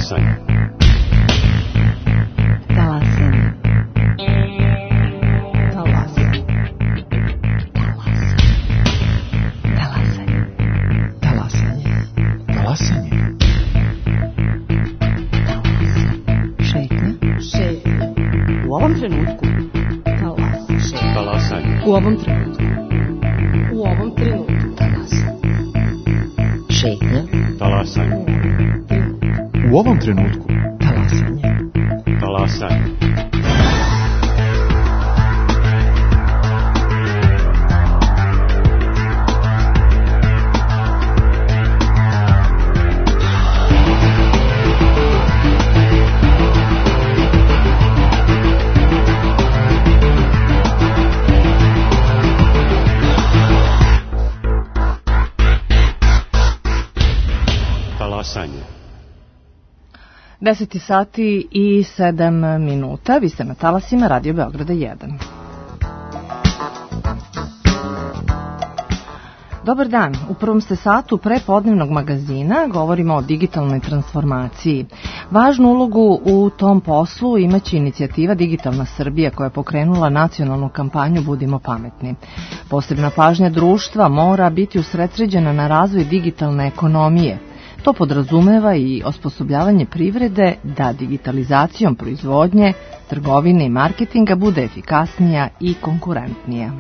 Talasanje. U ovom trenutku. Šetnja. Talasanje. U ovom trenutku. Talasanje. Talasanje. Talasanje. 10 sati i 7 minuta. Vi ste na talasima Radio Beograda 1. Dobar dan. U prvom ste satu prepodnevnog magazina govorimo o digitalnoj transformaciji. Važnu ulogu u tom poslu imaće inicijativa Digitalna Srbija koja je pokrenula nacionalnu kampanju Budimo pametni. Posebna pažnja društva mora biti usredsređena na razvoj digitalne ekonomije. To podrazumeva i osposobljavanje privrede da digitalizacijom proizvodnje, trgovine i marketinga bude efikasnija i konkurentnija.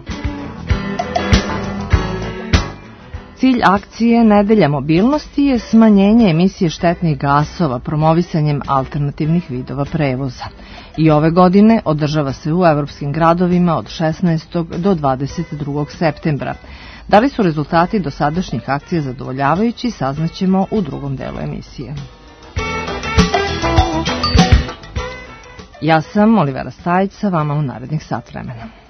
Cilj akcije Nedelja mobilnosti je smanjenje emisije štetnih gasova promovisanjem alternativnih vidova prevoza. I ove godine održava se u evropskim gradovima od 16. do 22. septembra. Da li su rezultati dosadašnjih akcija zadovoljavajući, saznaćemo u drugom delu emisije. Ja sam Olivera Stajić, sa vama u narednih sat vremena.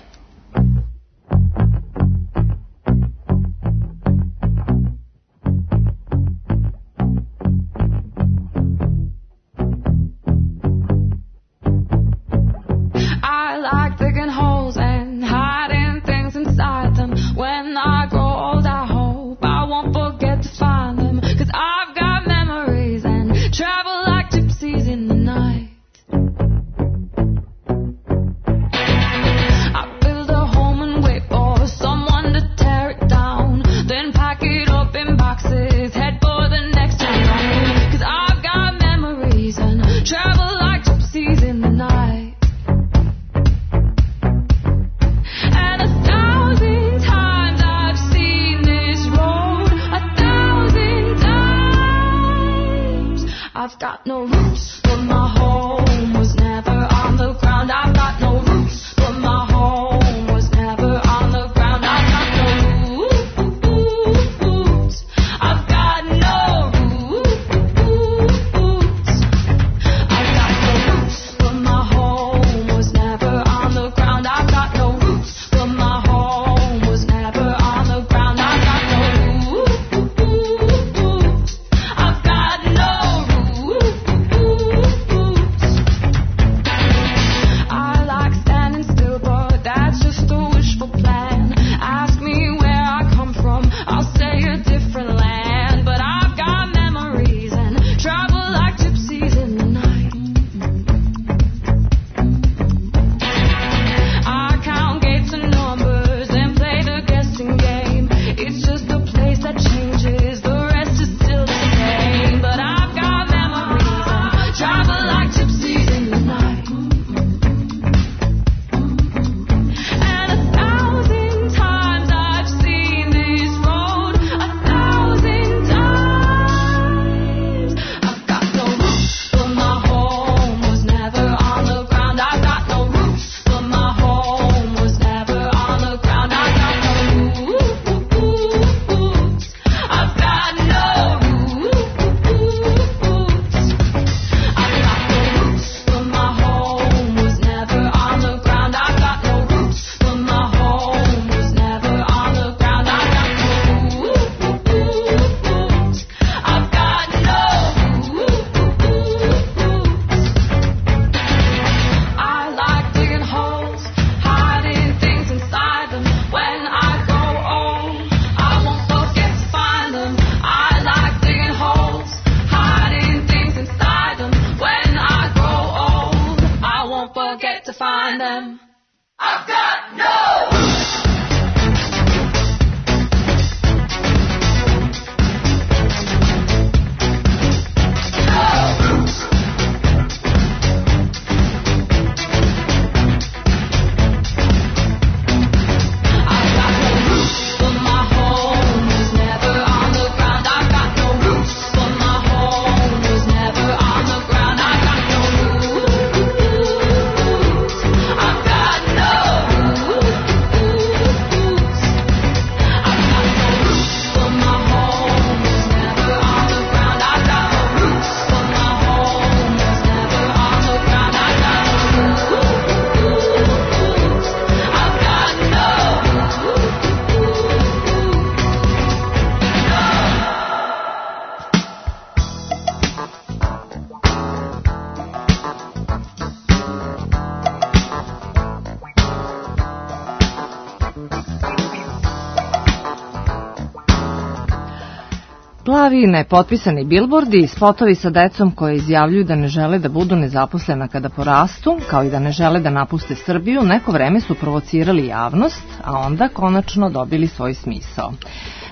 Plavi nepotpisani bilbordi, spotovi sa decom koje izjavljuju da ne žele da budu nezaposlena kada porastu, kao i da ne žele da napuste Srbiju, neko vreme su provocirali javnost, a onda konačno dobili svoj smisao.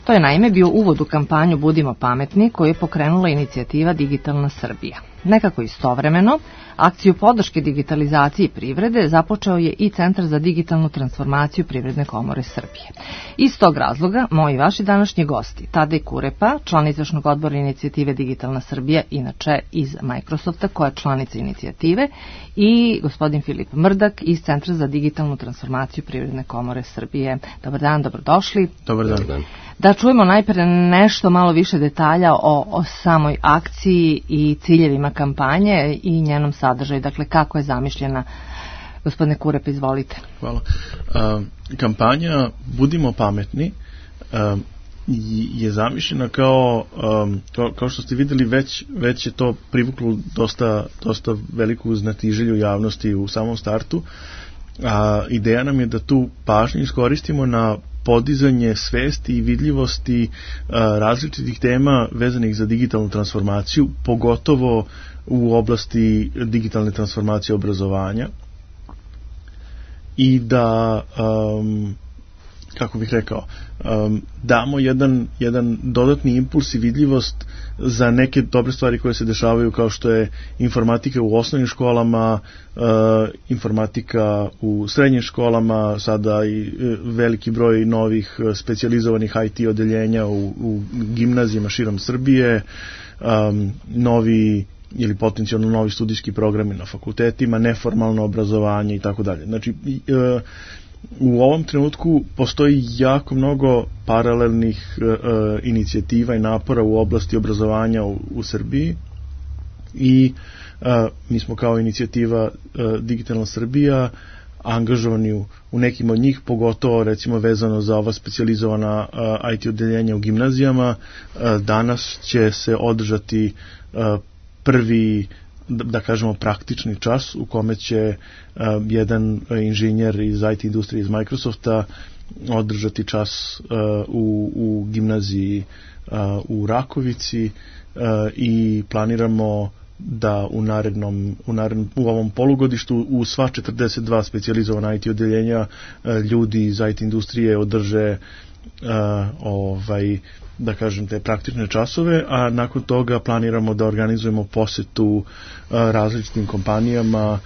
To je naime bio uvod u kampanju Budimo pametni koju je pokrenula inicijativa Digitalna Srbija. Nekako istovremeno, akciju podrške digitalizaciji privrede započeo je i Centar za digitalnu transformaciju Privredne komore Srbije. Iz tog razloga, moji vaši današnji gosti, Tadej Kurepa, član izvršnog odbora inicijative Digitalna Srbija, inače iz Microsofta, koja je članica inicijative, i gospodin Filip Mrdak iz Centra za digitalnu transformaciju Privredne komore Srbije. Dobar dan, dobrodošli. Dobar dan. Da čujemo najpre nešto malo više detalja o samoj akciji i ciljevima kampanje i njenom sadržaju. Dakle, kako je zamišljena? Gospodine Kurep, izvolite. Hvala. Kampanja Budimo pametni je zamišljena kao što ste videli, već je to privuklo dosta veliku znatiželju javnosti u samom startu. Ideja nam je da tu pažnju iskoristimo na podizanje svesti i vidljivosti različitih tema vezanih za digitalnu transformaciju, pogotovo u oblasti digitalne transformacije obrazovanja, i da, kako bih rekao, damo jedan dodatni impuls i vidljivost za neke dobre stvari koje se dešavaju, kao što je informatika u osnovnim školama, informatika u srednjim školama, sada i veliki broj novih specijalizovanih IT odeljenja u gimnazijama širom Srbije, novi ili potencijalno novi studijski programi na fakultetima, neformalno obrazovanje i tako dalje. Znači, u ovom trenutku postoji jako mnogo paralelnih inicijativa i napora u oblasti obrazovanja u Srbiji i mi smo kao inicijativa Digitalna Srbija angažovani u nekim od njih, pogotovo recimo vezano za ova specijalizovana IT odeljenja u gimnazijama. Danas će se održati prvi, da kažemo, praktični čas u kome će jedan inženjer iz IT industrije iz Microsofta održati čas u gimnaziji u Rakovici i planiramo da u ovom polugodištu u sva 42 specijalizovana IT odeljenja ljudi iz IT industrije održe da kažem te praktične časove, a nakon toga planiramo da organizujemo posetu različitim kompanijama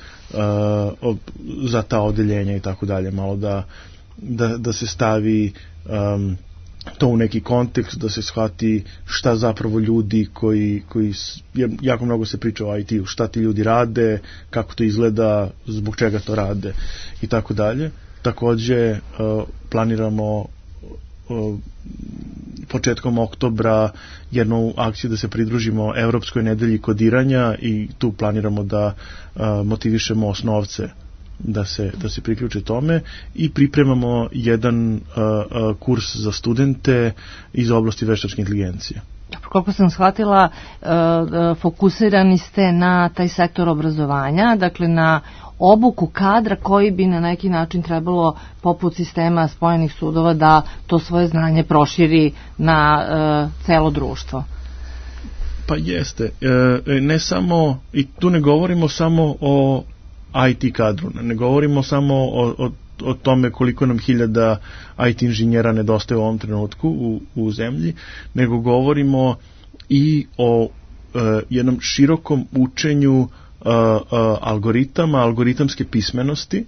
za ta odeljenja i tako dalje, malo da se stavi to u neki kontekst, da se shvati šta zapravo ljudi koji jako mnogo se priča o IT-u, šta ti ljudi rade, kako to izgleda, zbog čega to rade i tako dalje. Takođe planiramo početkom oktobra jednu akciju da se pridružimo Evropskoj nedelji kodiranja i tu planiramo da motivišemo osnovce da se priključe tome i pripremamo jedan kurs za studente iz oblasti veštačke inteligencije. Koliko sam shvatila, fokusirani ste na taj sektor obrazovanja, dakle na obuku kadra koji bi na neki način trebalo, poput sistema spojenih sudova, da to svoje znanje proširi na celo društvo. Pa jeste. Ne samo, i tu ne govorimo samo o IT kadru, ne govorimo samo o tome koliko nam 1000 IT inženjera nedostaje u ovom trenutku u zemlji, nego govorimo i o jednom širokom učenju algoritama, algoritamske pismenosti,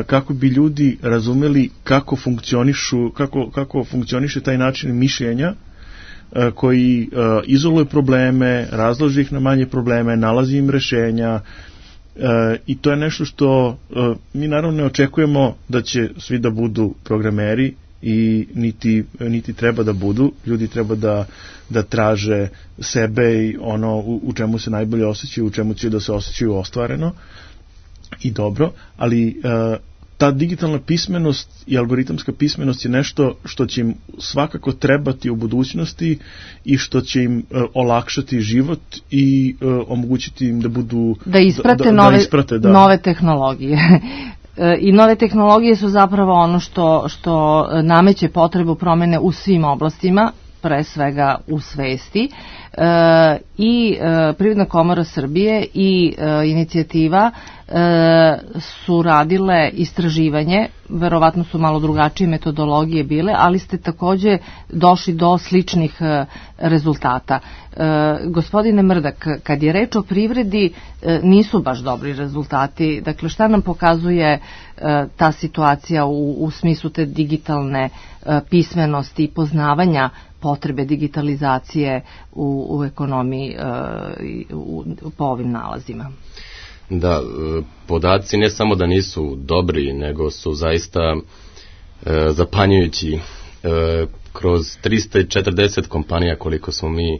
kako bi ljudi razumeli kako funkcioniše taj način mišljenja koji izoluje probleme, razloži ih na manje probleme, nalazi im rešenja, i to je nešto što mi naravno ne očekujemo da će svi da budu programeri i niti treba da budu. Ljudi treba da traže sebe i ono u čemu se najbolje osjećaju, u čemu će da se osjećaju ostvareno i dobro, ali ta digitalna pismenost i algoritamska pismenost je nešto što će im svakako trebati u budućnosti i što će im olakšati život i omogućiti im da budu da isprate nove tehnologije. I nove tehnologije su zapravo ono što nameće potrebu promene u svim oblastima, pre svega u svesti i Privredna komora Srbije i inicijativa su radile istraživanje, verovatno su malo drugačije metodologije bile, ali ste takođe došli do sličnih rezultata. Gospodine Mrdak, kad je reč o privredi, nisu baš dobri rezultati. Dakle, šta nam pokazuje ta situacija u smislu te digitalne pismenosti i poznavanja potrebe digitalizacije u ekonomiji po ovim nalazima? Da, podaci ne samo da nisu dobri, nego su zaista zapanjujući. Kroz 340 kompanija koliko smo mi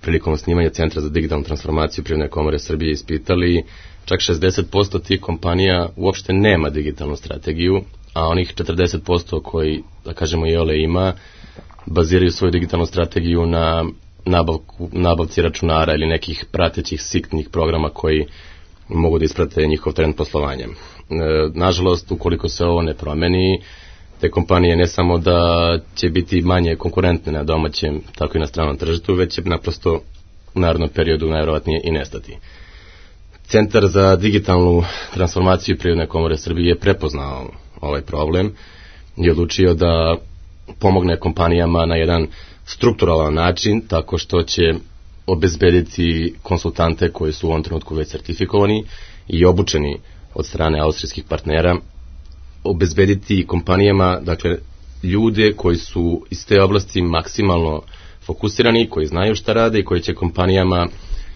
prilikom osnivanja Centra za digitalnu transformaciju Privredne komore Srbije ispitali, čak 60% tih kompanija uopšte nema digitalnu strategiju, a onih 40% koji, da kažemo, iole ima, baziraju svoju digitalnu strategiju na nabavci računara ili nekih pratećih siktnih programa koji mogu da isprate njihov trend poslovanja. Nažalost, ukoliko se ovo ne promeni, te kompanije ne samo da će biti manje konkurentne na domaćem, tako i na stranom tržištu, već će naprosto u narednom periodu najverovatnije i nestati. Centar za digitalnu transformaciju Privredne komore Srbije je prepoznao ovaj problem i odlučio da pomogne kompanijama na jedan strukturalan način, tako što će obezbediti konsultante koji su u ovom trenutku već sertifikovani i obučeni od strane austrijskih partnera, obezbediti kompanijama, dakle, ljude koji su iz te oblasti maksimalno fokusirani, koji znaju šta rade i koji će kompanijama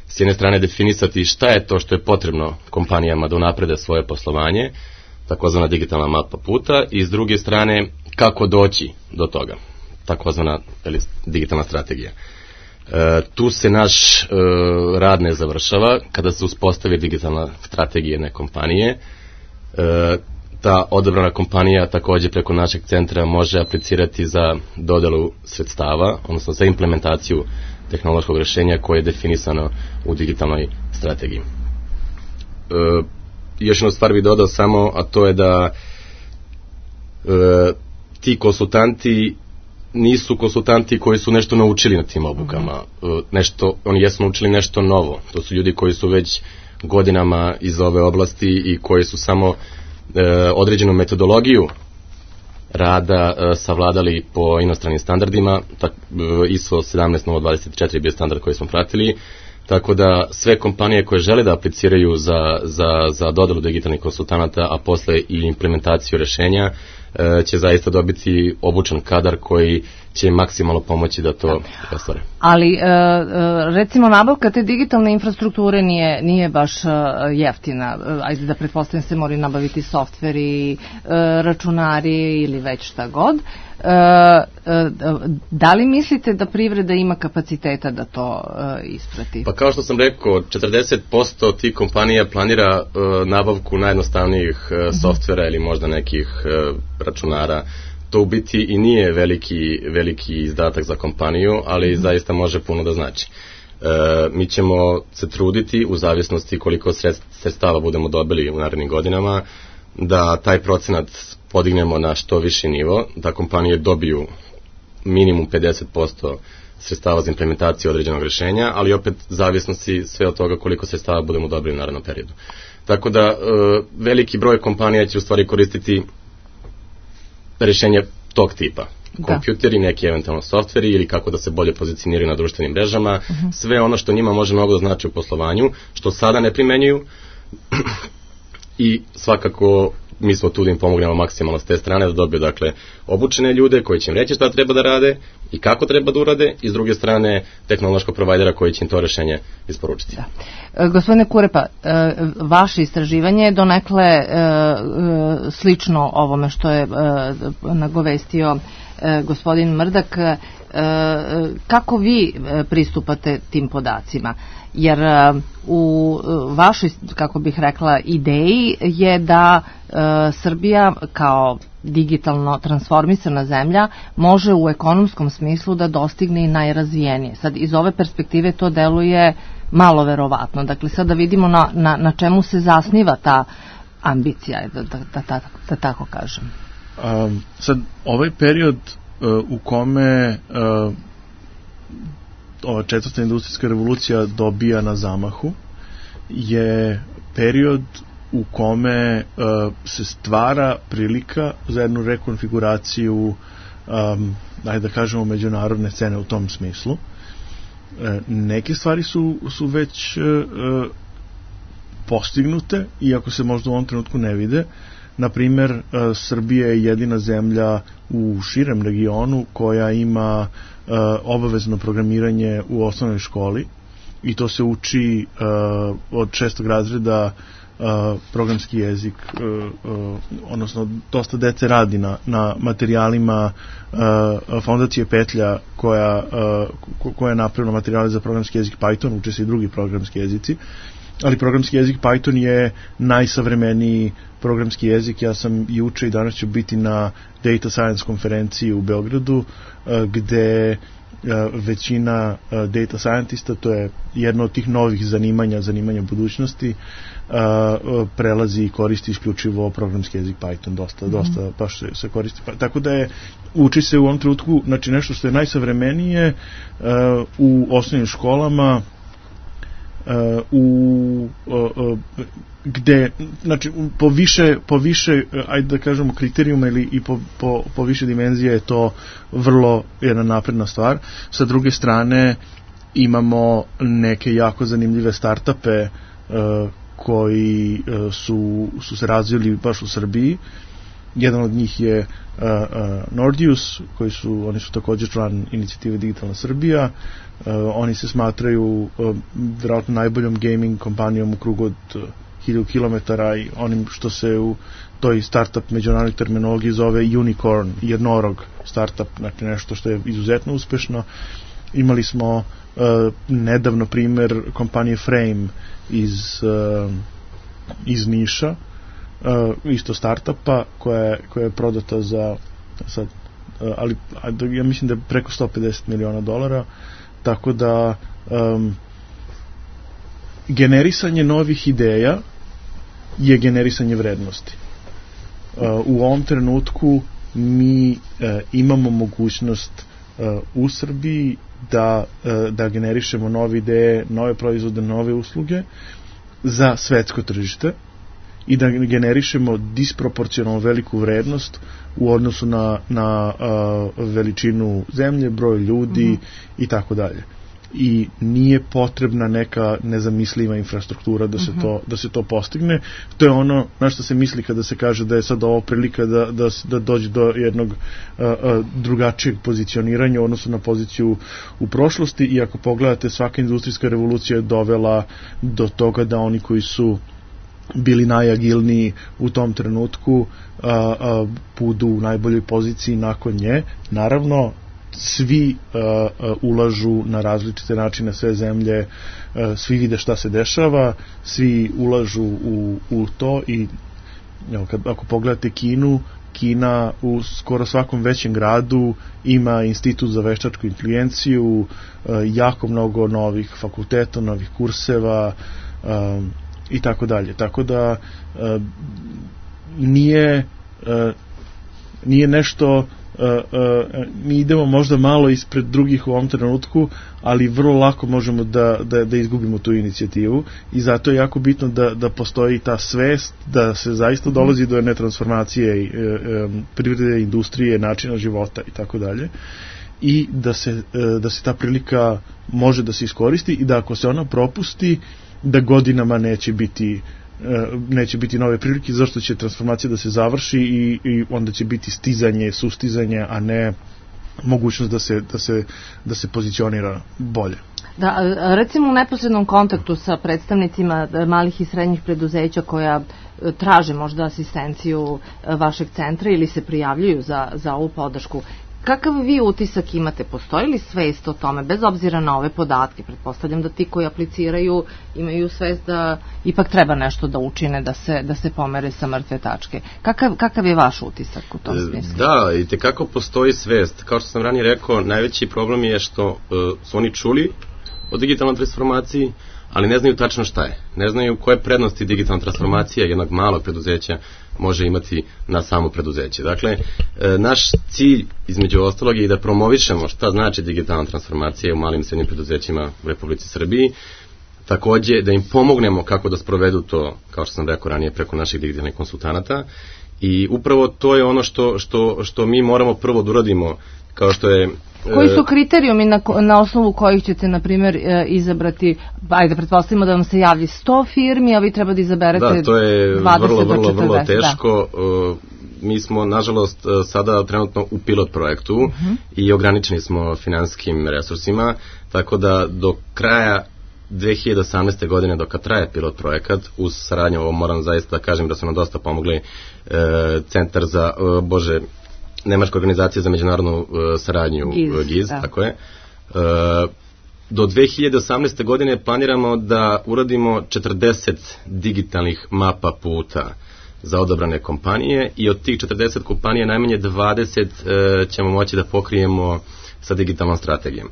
s jedne strane definisati šta je to što je potrebno kompanijama da unaprede svoje poslovanje, takozvana digitalna mapa puta, i s druge strane kako doći do toga, takozvana digitalna strategija. Tu se naš rad ne završava. Kada se uspostavi digitalna strategija jedne kompanije, ta odabrana kompanija takođe preko našeg centra može aplicirati za dodelu sredstava, odnosno za implementaciju tehnološkog rešenja koje je definisano u digitalnoj strategiji. Još jednu stvar bih dodao samo, a to je da ti konsultanti nisu konsultanti koji su nešto naučili na tim obukama. Oni jesu naučili nešto novo. To su ljudi koji su već godinama iz ove oblasti i koji su samo određenu metodologiju rada savladali po inostranim standardima. ISO 17024 je bio standard koji smo pratili. Tako da sve kompanije koje žele da apliciraju za dodelu digitalnih konsultanata, a posle i implementaciju rešenja, će zaista dobiti obučen kadar koji će maksimalno pomoći da to ostvare. Ali, recimo, nabavka te digitalne infrastrukture nije baš jeftina. Ajde da pretpostavljam se moraju nabaviti softveri, računari ili već šta god. Da li mislite da privreda ima kapaciteta da to isprati? Pa kao što sam rekao, 40% tih kompanija planira nabavku najjednostavnijih softvera ili možda nekih računara. To u biti i nije veliki izdatak za kompaniju, ali zaista može puno da znači. Mi ćemo se truditi, u zavisnosti koliko sredstava budemo dobili u narednim godinama, da taj procenat podignemo na što viši nivo, da kompanije dobiju minimum 50% sredstava za implementaciju određenog rešenja, ali opet zavisnosti sve od toga koliko sredstava budemo dobili u narednom periodu. Tako da veliki broj kompanija će u stvari koristiti rešenje tog tipa. Kompjuteri, neki eventualno softveri ili kako da se bolje pozicioniraju na društvenim mrežama, sve ono što njima može mnogo da znači u poslovanju, što sada ne primenjuju i svakako mi smo tu da im pomognemo maksimalno s te strane da dobiju, dakle, obučene ljude koji će im reći šta treba da rade i kako treba da urade, i s druge strane tehnološkog provajdera koji će im to rešenje isporučiti. Da. Gospodine Kurepa, vaše istraživanje je donekle slično ovome što je nagovestio gospodin Mrdak. Kako vi pristupate tim podacima? Jer u vašoj, kako bih rekla, ideji je da Srbija kao digitalno transformisana zemlja može u ekonomskom smislu da dostigne i najrazvijenije. Sad, iz ove perspektive to deluje malo verovatno. Dakle, sad da vidimo na čemu se zasniva ta ambicija, da tako kažem. Sad, ovaj period u kome ova četvrta industrijska revolucija dobija na zamahu je period u kome se stvara prilika za jednu rekonfiguraciju ajde da kažemo međunarodne scene u tom smislu. Neke stvari su već postignute, iako se možda u ovom trenutku ne vide. Naprimer, Srbija je jedina zemlja u širem regionu koja ima obavezno programiranje u osnovnoj školi i to se uči od 6. razreda programski jezik, odnosno dosta dece radi na materijalima fondacije Petlja koja je napravila materijale za programski jezik Python, uče se i drugi programski jezici, ali programski jezik Python je najsavremeniji programski jezik. Ja sam juče i danas ću biti na Data Science konferenciji u Beogradu, gde većina data scientista, to je jedno od tih novih zanimanja budućnosti, prelazi i koristi isključivo programski jezik Python, dosta baš se koristi. Tako da uči se u ovom trenutku, znači nešto što je najsavremenije u osnovnim školama, gde, znači, po više ajde da kažemo kriterijuma ili i po više dimenzije je to vrlo jedna napredna stvar. Sa druge strane imamo neke jako zanimljive startupe koji su se razvili baš u Srbiji. Jedan od njih je Nordius, oni su također član inicijative Digitalna Srbija. Oni se smatraju vjerojatno najboljom gaming kompanijom u krugu od 1000 km i onim što se u toj startup međunarodnoj terminologiji zove unicorn, jednorog startup, znači nešto što je izuzetno uspešno. Imali smo nedavno primer kompanije Frame iz Niša, isto startupa koja je prodata za sad, ali ja mislim da je preko $150 miliona, tako da generisanje novih ideja je generisanje vrednosti. U ovom trenutku mi imamo mogućnost u Srbiji da generišemo nove ideje, nove proizvode, nove usluge za svetsko tržište i da generišemo disproporcionalno veliku vrednost u odnosu na veličinu zemlje, broj ljudi i tako dalje. I nije potrebna neka nezamisliva infrastruktura da se to postigne. To je ono na što se misli kada se kaže da je sad ovo prilika da dođe do jednog drugačijeg pozicioniranja u odnosu na poziciju u prošlosti, i ako pogledate, svaka industrijska revolucija je dovela do toga da oni koji su bili najagilniji u tom trenutku budu u najboljoj poziciji nakon nje. Naravno, svi ulažu na različite načine, sve zemlje, svi vide šta se dešava, svi ulažu u to i ako pogledate Kina u skoro svakom većem gradu ima institut za veštačku inteligenciju, jako mnogo novih fakulteta, novih kurseva i tako dalje. Tako da nije nešto, mi idemo možda malo ispred drugih u ovom trenutku, ali vrlo lako možemo da izgubimo tu inicijativu, i zato je jako bitno da postoji ta svest da se zaista dolazi do jedne transformacije privrede, industrije, načina života i tako dalje, i da se ta prilika može da se iskoristi, i da ako se ona propusti, da godinama neće biti nove prilike, zašto će transformacija da se završi i onda će biti sustizanje, a ne mogućnost da se pozicionira bolje. Da, recimo u neposrednom kontaktu sa predstavnicima malih i srednjih preduzeća koja traže možda asistenciju vašeg centra ili se prijavljuju za ovu podršku, kakav vi utisak imate? Postoji li svest o tome, bez obzira na ove podatke? Pretpostavljam da ti koji apliciraju imaju svest da ipak treba nešto da učine, da se pomere sa mrtve tačke. Kakav je vaš utisak u tom smislu? Da, i tekako postoji svest. Kao što sam ranije rekao, najveći problem je što su oni čuli o digitalnoj transformaciji, ali ne znaju tačno šta je. Ne znaju koje prednosti digitalna transformacija jednog malog preduzeća može imati na samo preduzeće. Dakle, naš cilj između ostalog je da promovišemo šta znači digitalna transformacija u malim i srednjim preduzećima u Republici Srbiji, takođe da im pomognemo kako da sprovedu to, kao što sam rekao ranije, preko naših digitalnih konsultanata, i upravo to je ono što mi moramo prvo da uradimo, kao što je... Koji su kriterijumi na osnovu kojih ćete, na primjer, izabrati, ajde, pretpostavimo da vam se javi 100 firmi, a vi treba da izaberete 20 do 40. Da, to je vrlo teško. Mi smo, nažalost, sada trenutno u pilot projektu i ograničeni smo finansijskim resursima, tako da do kraja 2018. godine, dok traje pilot projekat, uz saradnju, ovo moram zaista da kažem da su nam dosta pomogli Centar za, Nemačka organizacija za međunarodnu saradnju, GIZ, tako je. Do 2018. godine planiramo da uradimo 40 digitalnih mapa puta za odabrane kompanije i od tih 40 kompanija najmanje 20 ćemo moći da pokrijemo sa digitalnom strategijom.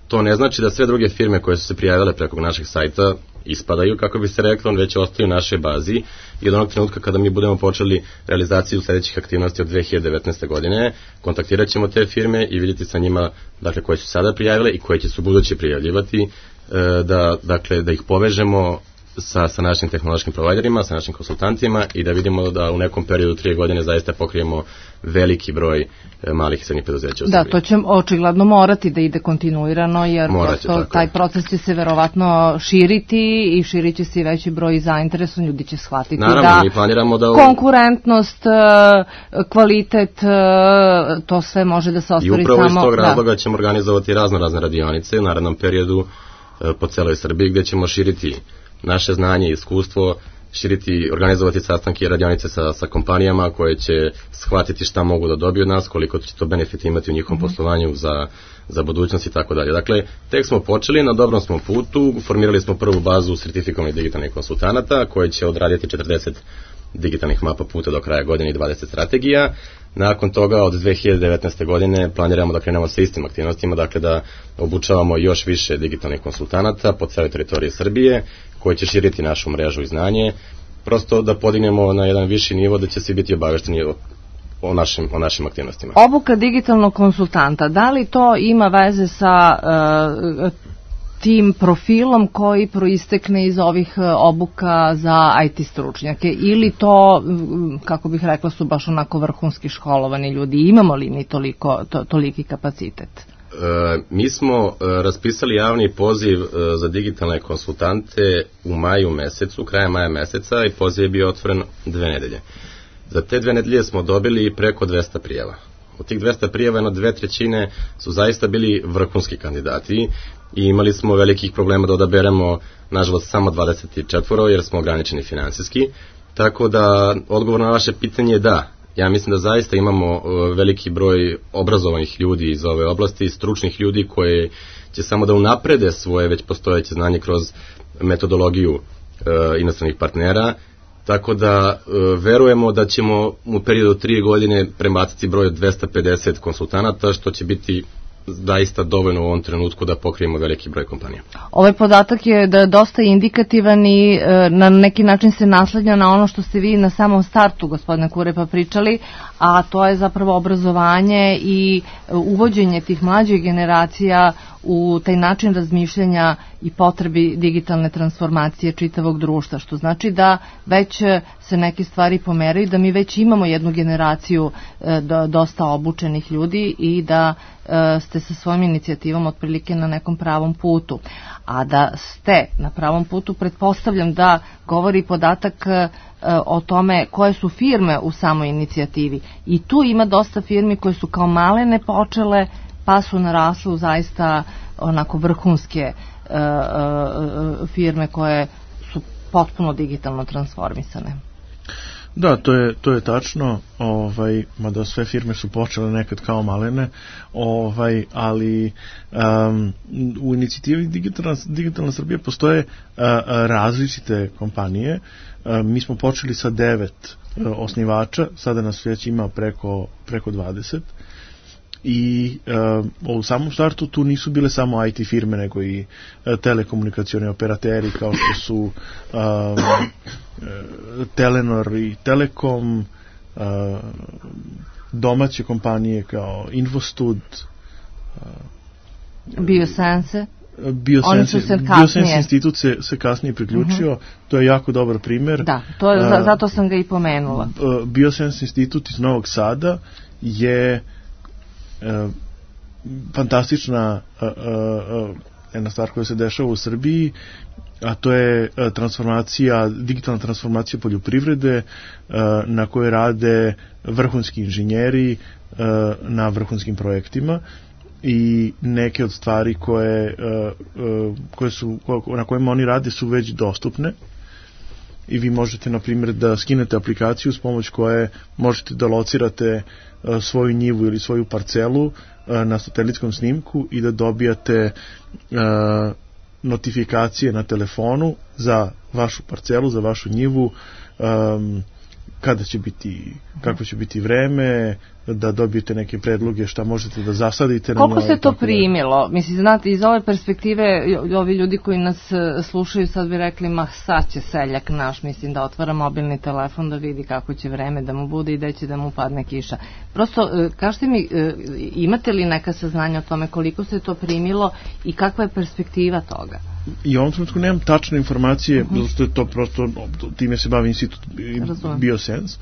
To ne znači da sve druge firme koje su se prijavile preko našeg sajta ispadaju, kako bi se reklo, on već ostaju u našoj bazi i od onog trenutka kada mi budemo počeli realizaciju sledećih aktivnosti od 2019. godine, kontaktirat ćemo te firme i vidjeti sa njima, dakle, koje su sada prijavile i koje će se u buduće prijavljivati, da ih povežemo sa našim tehnološkim providerima, sa našim konsultantima i da vidimo da u nekom periodu 3 godine zaista pokrijemo veliki broj malih i srednjih preduzeća u Srbiji. Da, to će očigledno morati da ide kontinuirano, jer prosto taj proces će se verovatno širiti i širit će se i veći broj zainteresovan, ljudi će shvatiti. Naravno, mi planiramo da... Konkurentnost, kvalitet, to sve može da se ostvari samo... I upravo iz tog razloga ćemo organizovati razne radionice u narednom periodu po celoj Srbiji, gde ćemo širiti naše znanje i iskustvo, organizovati sastanke i radionice sa kompanijama koje će shvatiti šta mogu da dobiju od nas, koliko će to benefit imati u njihovom poslovanju za budućnost i tako dalje. Dakle, tek smo počeli, na dobrom smo putu, formirali smo prvu bazu sertifikovanih digitalnih konsultanata koje će odraditi 40 digitalnih mapa puta do kraja godine i 20 strategija. Nakon toga od 2019. godine planiramo da krenemo sa istim aktivnostima, dakle da obučavamo još više digitalnih konsultanata po celoj teritoriji Srbije, koji će širiti našu mrežu i znanje, prosto da podignemo na jedan viši nivo da će svi biti obavešteni o našim aktivnostima. Obuka digitalnog konsultanta, da li to ima veze sa tim profilom koji proistekne iz ovih obuka za IT stručnjake, ili to, kako bih rekla, su baš onako vrhunski školovani ljudi? Imamo li mi toliki kapacitet? Mi smo raspisali javni poziv za digitalne konsultante u maju mesecu, krajem maja meseca, i poziv je bio otvoren 2 nedelje. Za te 2 nedelje smo dobili preko 200 prijava. Od tih 200 prijava, 2/3 su zaista bili vrhunski kandidati i imali smo velikih problema da odaberemo, nažalost, samo 24, jer smo ograničeni finansijski. Tako da, odgovor na vaše pitanje je da. Ja mislim da zaista imamo veliki broj obrazovanih ljudi iz ove oblasti, stručnih ljudi koje će samo da unaprede svoje već postojeće znanje kroz metodologiju inostranih partnera. Tako da verujemo da ćemo u periodu 3 godine prebaciti broj od 250 konsultanata, što će biti zaista dovoljno u ovom trenutku da pokrijemo veliki broj kompanija. Ovaj podatak je da je dosta indikativan i na neki način se naslanja na ono što ste vi na samom startu, gospodine Kurepa, pričali, a to je zapravo obrazovanje i uvođenje tih mlađih generacija u taj način razmišljanja i potrebi digitalne transformacije čitavog društva, što znači da već se neke stvari pomeraju, da mi već imamo jednu generaciju dosta obučenih ljudi i da ste sa svojim inicijativom otprilike na nekom pravom putu. A da ste na pravom putu, pretpostavljam da govori podatak o tome koje su firme u samoj inicijativi. I tu ima dosta firmi koje su kao malene počele, pa su narasle u zaista onako vrhunske firme koje su potpuno digitalno transformisane. Da, to je tačno, mada sve firme su počele nekad kao malene, ali u inicijativi Digitalna Srbija postoje različite kompanije. Mi smo počeli sa 9 osnivača, sada nas već ima preko 20. i u samom startu tu nisu bile samo IT firme, nego i telekomunikacioni operateri kao što su Telenor i Telekom, domaće kompanije kao Infostud, Biosense. Biosense institut se kasnije priključio, to je jako dobar primer. Da, zato sam ga i pomenula. Biosense institut iz Novog Sada je fantastična jedna stvar koja se dešava u Srbiji, a to je digitalna transformacija poljoprivrede na kojoj rade vrhunski inženjeri na vrhunskim projektima, i neke od stvari na kojima oni rade su već dostupne i vi možete, na primjer, da skinete aplikaciju s pomoć koje možete da locirate svoju njivu ili svoju parcelu na satelitskom snimku i da dobijate notifikacije na telefonu za vašu parcelu, za vašu njivu, kada će biti, kako će biti vreme, da dobijete neke predloge šta možete da zasadite. Koliko se to primilo? Mislim, znate, iz ove perspektive, ovi ljudi koji nas slušaju sad bi rekli, ma sad će seljak naš, mislim, da otvara mobilni telefon da vidi kako će vreme da mu bude i da će da mu padne kiša. Prosto, kažete mi, imate li neka saznanja o tome koliko se to primilo i kakva je perspektiva toga? I u ovom trenutku nemam tačne informacije, zato što je to prosto, time se bavi institut Biosense,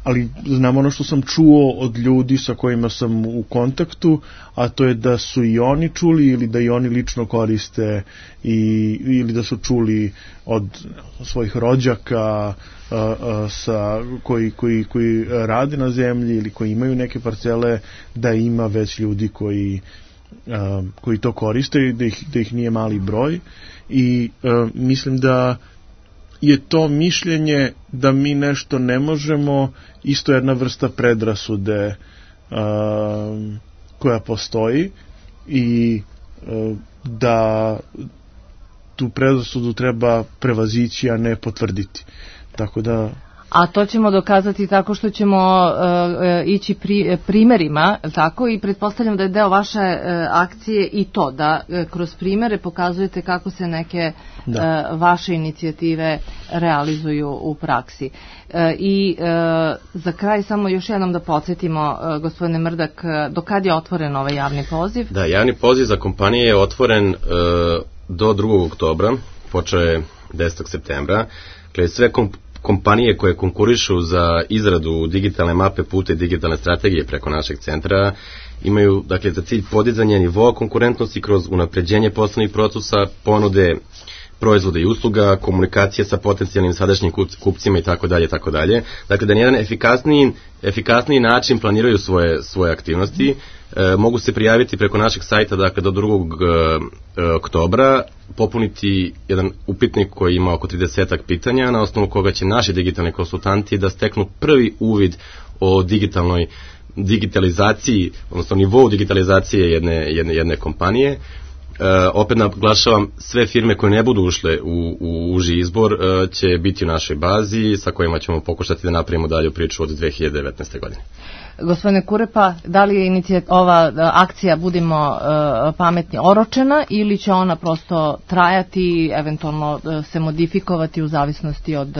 ali znam ono što sam čuo od ljudi sa kojima sam u kontaktu, a to je da su i oni čuli ili da i oni lično koriste ili da su čuli od svojih rođaka koji rade na zemlji ili koji imaju neke parcele, da ima već ljudi koji to koriste i da ih nije mali broj, i mislim da je to mišljenje da mi nešto ne možemo isto jedna vrsta predrasude koja postoji i da tu predrasudu treba prevazići, a ne potvrditi. Tako da... A to ćemo dokazati tako što ćemo ići primerima, tako, i pretpostavljam da je deo vaše akcije i to, da kroz primere pokazujete kako se neke vaše inicijative realizuju u praksi. I za kraj samo još jednom da podsjetimo, gospodine Mrdak, do kad je otvoren ovaj javni poziv? Da, javni poziv za kompanije je otvoren do 2. oktobra, počeo je 10. septembra. Dakle, sve kompanije koje konkurišu za izradu digitalne mape puta i digitalne strategije preko našeg centra imaju, dakle, za cilj podizanje nivoa konkurentnosti kroz unapređenje poslovnih procesa, ponude proizvoda i usluga, komunikacije sa potencijalnim sadašnjim kupcima i tako dalje, tako dalje. Dakle, da na jedan efikasniji način planiraju svoje aktivnosti. Mogu se prijaviti preko našeg sajta, dakle, do 2. oktobra, popuniti jedan upitnik koji ima oko 30 pitanja, na osnovu koga će naši digitalni konsultanti da steknu prvi uvid o digitalizaciji, odnosno nivou digitalizacije jedne kompanije. Opet naglašavam, sve firme koje ne budu ušle u uži izbor će biti u našoj bazi, sa kojima ćemo pokušati da napravimo dalju priču od 2019. godine. Gospodine Kurepa, da li je ova akcija Budimo pametni oročena ili će ona prosto trajati, eventualno se modifikovati u zavisnosti od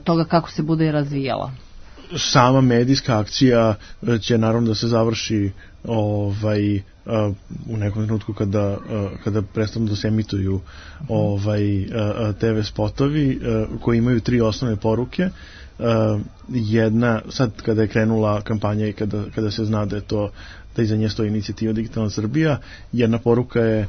toga kako se bude razvijala? Sama medijska akcija će naravno da se završi u nekom trenutku kada prestanu da se emituju TV spotovi koji imaju 3 osnovne poruke. Jedna, sad kada je krenula kampanja i kada se zna da iza nje stoji inicijativa Digitalna Srbija, jedna poruka je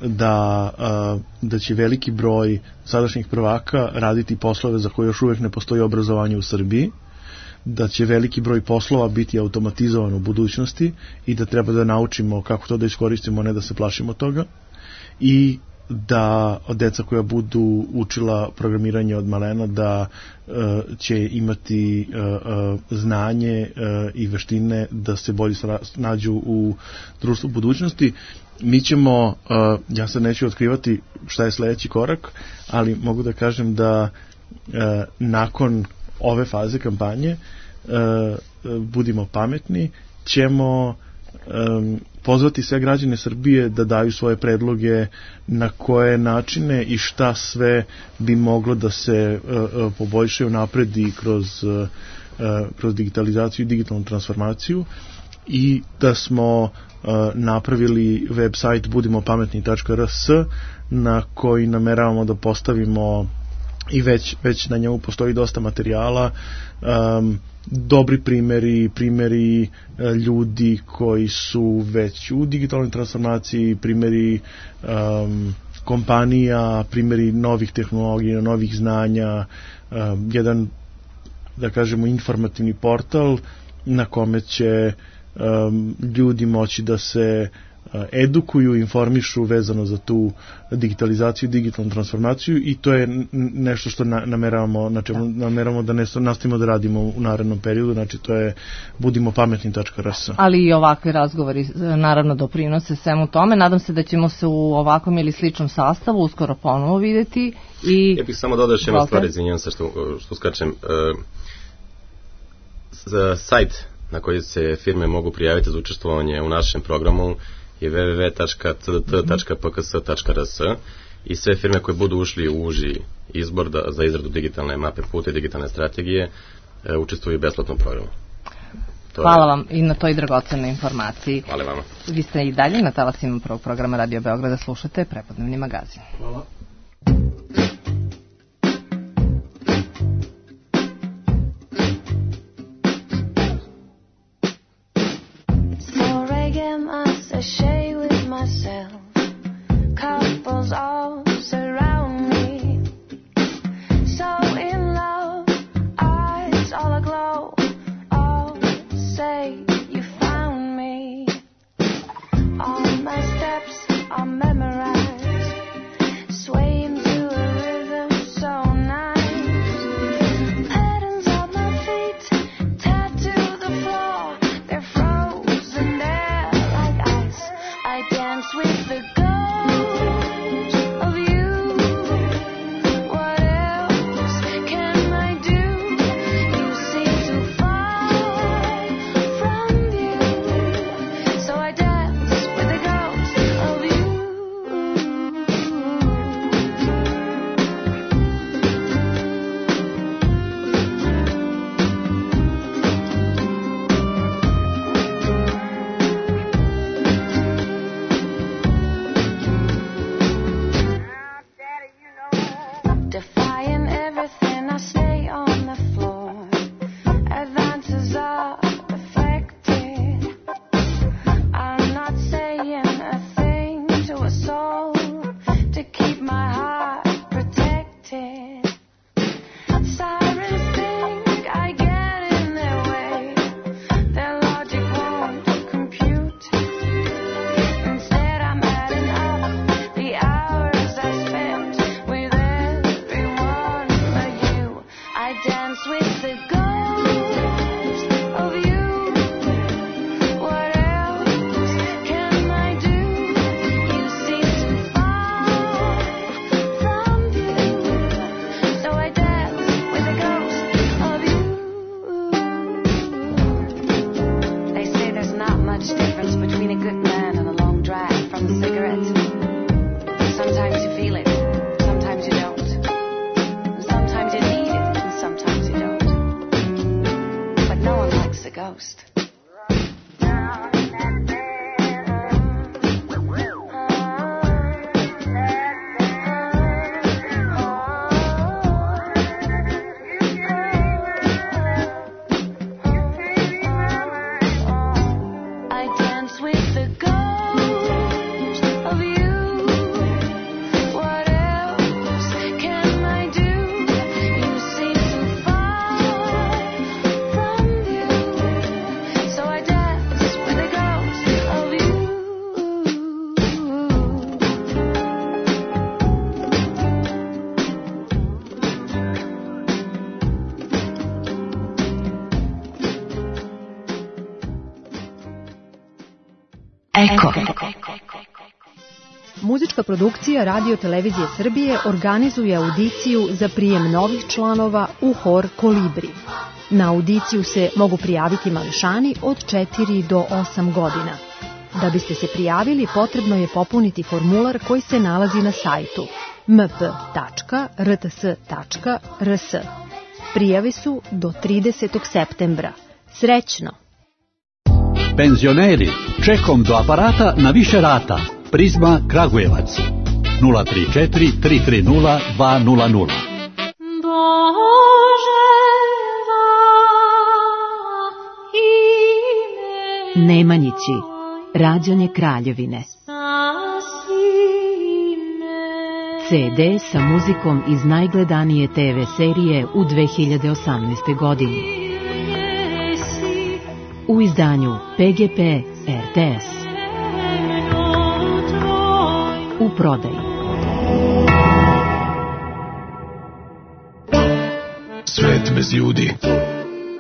da će veliki broj sadašnjih prvaka raditi poslove za koje još uvijek ne postoji obrazovanje u Srbiji, da će veliki broj poslova biti automatizovan u budućnosti i da treba da naučimo kako to da iskoristimo, ne da se plašimo toga, i da deca koja budu učila programiranje od malena da će imati znanje i veštine da se bolje nađu u društvu budućnosti. Mi ćemo, ja sad neću otkrivati šta je sledeći korak, ali mogu da kažem da nakon ove faze kampanje Budimo pametni ćemo pozvati sve građane Srbije da daju svoje predloge na koje načine i šta sve bi moglo da se poboljšaju napredi kroz digitalizaciju i digitalnu transformaciju, i da smo napravili website budimopametni.rs na koji nameravamo da postavimo, i već na njemu postoji dosta materijala, dobri primjeri ljudi koji su već u digitalnoj transformaciji, primjeri kompanija, primjeri novih tehnologija, novih znanja, jedan, da kažemo, informativni portal na kome će ljudi moći da se edukuju, informišu vezano za tu digitalizaciju, digitalnu transformaciju, i to je nešto što nameravamo da nastavimo da radimo u narednom periodu, znači to je budimopametni.rs. Ali i ovakvi razgovori naravno doprinose svemu tome. Nadam se da ćemo se u ovakvom ili sličnom sastavu uskoro ponovo videti. Ja bih samo dodao još jednu stvar, izvinjam se što skačem. Sajt na koji se firme mogu prijaviti za učestvovanje u našem programu je www.cdt.pks.rs, i sve firme koje budu ušli u uži izbor za izradu digitalne mape puta i digitalne strategije učestvuju u besplatnom programu. Hvala vam i na toj dragocenoj informaciji. Hvala vama. Vi ste i dalje na talasima prvog programa Radio Beograda, slušate Prepodnevni magazin. Hvala. Sashay with myself, couples all surround me, so in love, eyes all aglow, all say you found me, all my steps are memorized, swaying to a rhythm so nice, patterns on my feet tattoo the floor, they're frozen there. I dance with the ghost of you. What else can I do? You seem too far from you, so I dance with the ghost of you. Defying everything, I stay on the floor. Advances are affected. I'm not saying a thing to a soul to keep my heart protected. Sirens think I get in their way. Their logic won't compute. Instead, I'm adding up the hours I spent with everyone but you. I dance with the ghost of you. What else can I do? You seem too far from you, so I dance with the ghost of you. They say there's not much difference between a good man and a long drag from a cigarette. Sometimes you feel it, sometimes you don't. Sometimes you need it, and sometimes you don't. But no one likes a ghost. I dance with the ghost of you. What else can I do? You seem too far from you, so I dance with the ghost of you. Eko. Muzička produkcija Radio Televizije Srbije organizuje audiciju za prijem novih članova u hor Kolibri. Na audiciju se mogu prijaviti mališani od 4 do 8 godina. Da biste se prijavili, potrebno je popuniti formular koji se nalazi na sajtu mp.rts.rs. Prijave su do 30. septembra. Srećno! Penzioneri, čekom do aparata na više rata. Prizma Kragujevac 034 330 200. Nemanjići, rađanje Kraljevine. CD sa muzikom iz najgledanije TV serije u 2018. godini. U izdanju PGP RTS. U prodaji. Svet bez ljudi.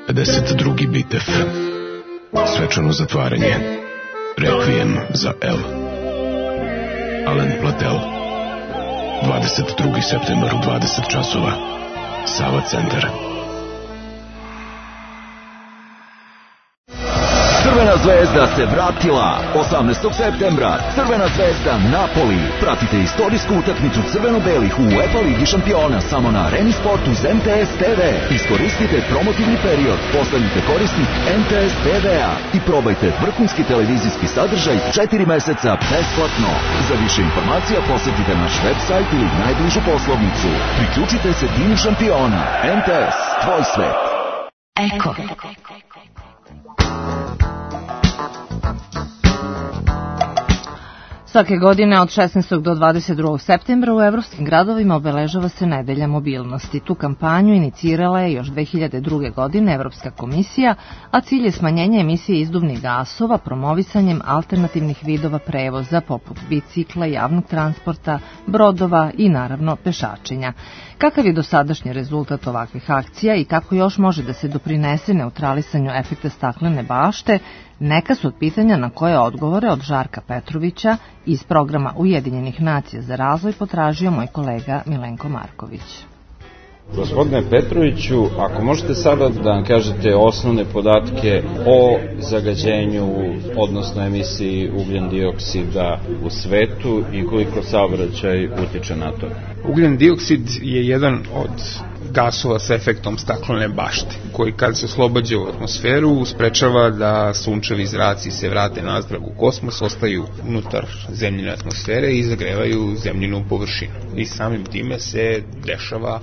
52. bitev. Svečano zatvaranje. Rekvijem za L. Alen Platel. 22. septembar u 20 časova. Sava centar. Crvena zvezda se vratila 18. septembra. Crvena zvezda Napoli. Pratite istorijsku utakmicu crveno-belih u UEFA Ligi šampiona samo na Areni Sportu uz MTS TV. Iskoristite promotivni period, postanite korisnik MTS TV-a i probajte vrhunski televizijski sadržaj 4 meseca besplatno. Za više informacija posjetite naš website ili najbližu poslovnicu. Priključite se timu šampiona. MTS, tvoj svet. Eko. Svake godine od 16. do 22. septembra u evropskim gradovima obeležava se Nedelja mobilnosti. Tu kampanju inicirala je još 2002. godine Evropska komisija, a cilj je smanjenje emisije izduvnih gasova promovisanjem alternativnih vidova prevoza poput bicikla, javnog transporta, brodova i naravno pešačenja. Kakav je dosadašnji rezultat ovakvih akcija i kako još može da se doprinese neutralisanju efekta staklene bašte, neka su od pitanja na koje odgovore od Žarka Petrovića iz programa Ujedinjenih nacija za razvoj potražio moj kolega Milenko Marković. Gospodine Petroviću, ako možete sada da nam kažete osnovne podatke o zagađenju, odnosno emisiji ugljen dioksida u svetu i koliko saobraćaj utiče na to. Ugljen dioksid je jedan od gasova sa efektom staklene bašte, koji kad se oslobađa u atmosferu sprečava da sunčevi zraci se vrate nazdrav u kosmos, ostaju unutar zemljine atmosfere i zagrevaju zemljinu površinu. I samim time se dešava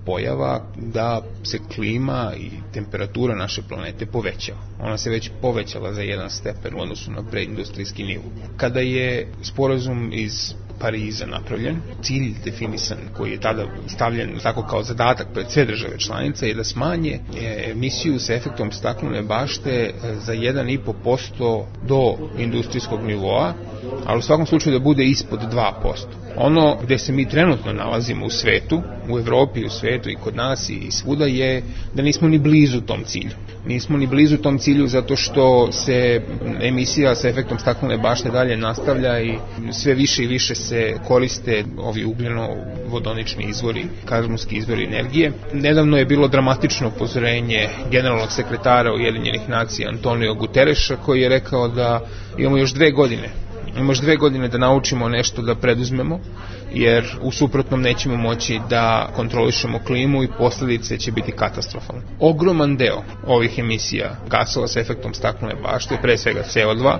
pojava da se klima i temperatura naše planete povećava. Ona se već povećala za 1 stepen u odnosu na preindustrijski nivo. Kada je sporazum iz Pariza napravljen, cilj definisan koji je tada stavljen tako kao zadatak pred sve države članice je da smanje emisiju sa efektom staklene bašte za 1,5% do industrijskog nivoa, ali u svakom slučaju da bude ispod 2%. Ono gde se mi trenutno nalazimo u svetu, u Evropi, u svetu i kod nas i svuda je da nismo ni blizu tom cilju. Nismo ni blizu tom cilju zato što se emisija sa efektom staklene bašte dalje nastavlja i sve više i više se koriste ovi ugljeno-vodonični izvori, karbonski izvori energije. Nedavno je bilo dramatično upozorenje generalnog sekretara Ujedinjenih nacija Antonio Gutereša koji je rekao da imamo još 2 godine. Imamo još 2 godine da naučimo nešto da preduzmemo, jer u suprotnom nećemo moći da kontrolišemo klimu i posljedice će biti katastrofalne. Ogroman deo ovih emisija gasova sa efektom staklene bašte, pre svega CO2,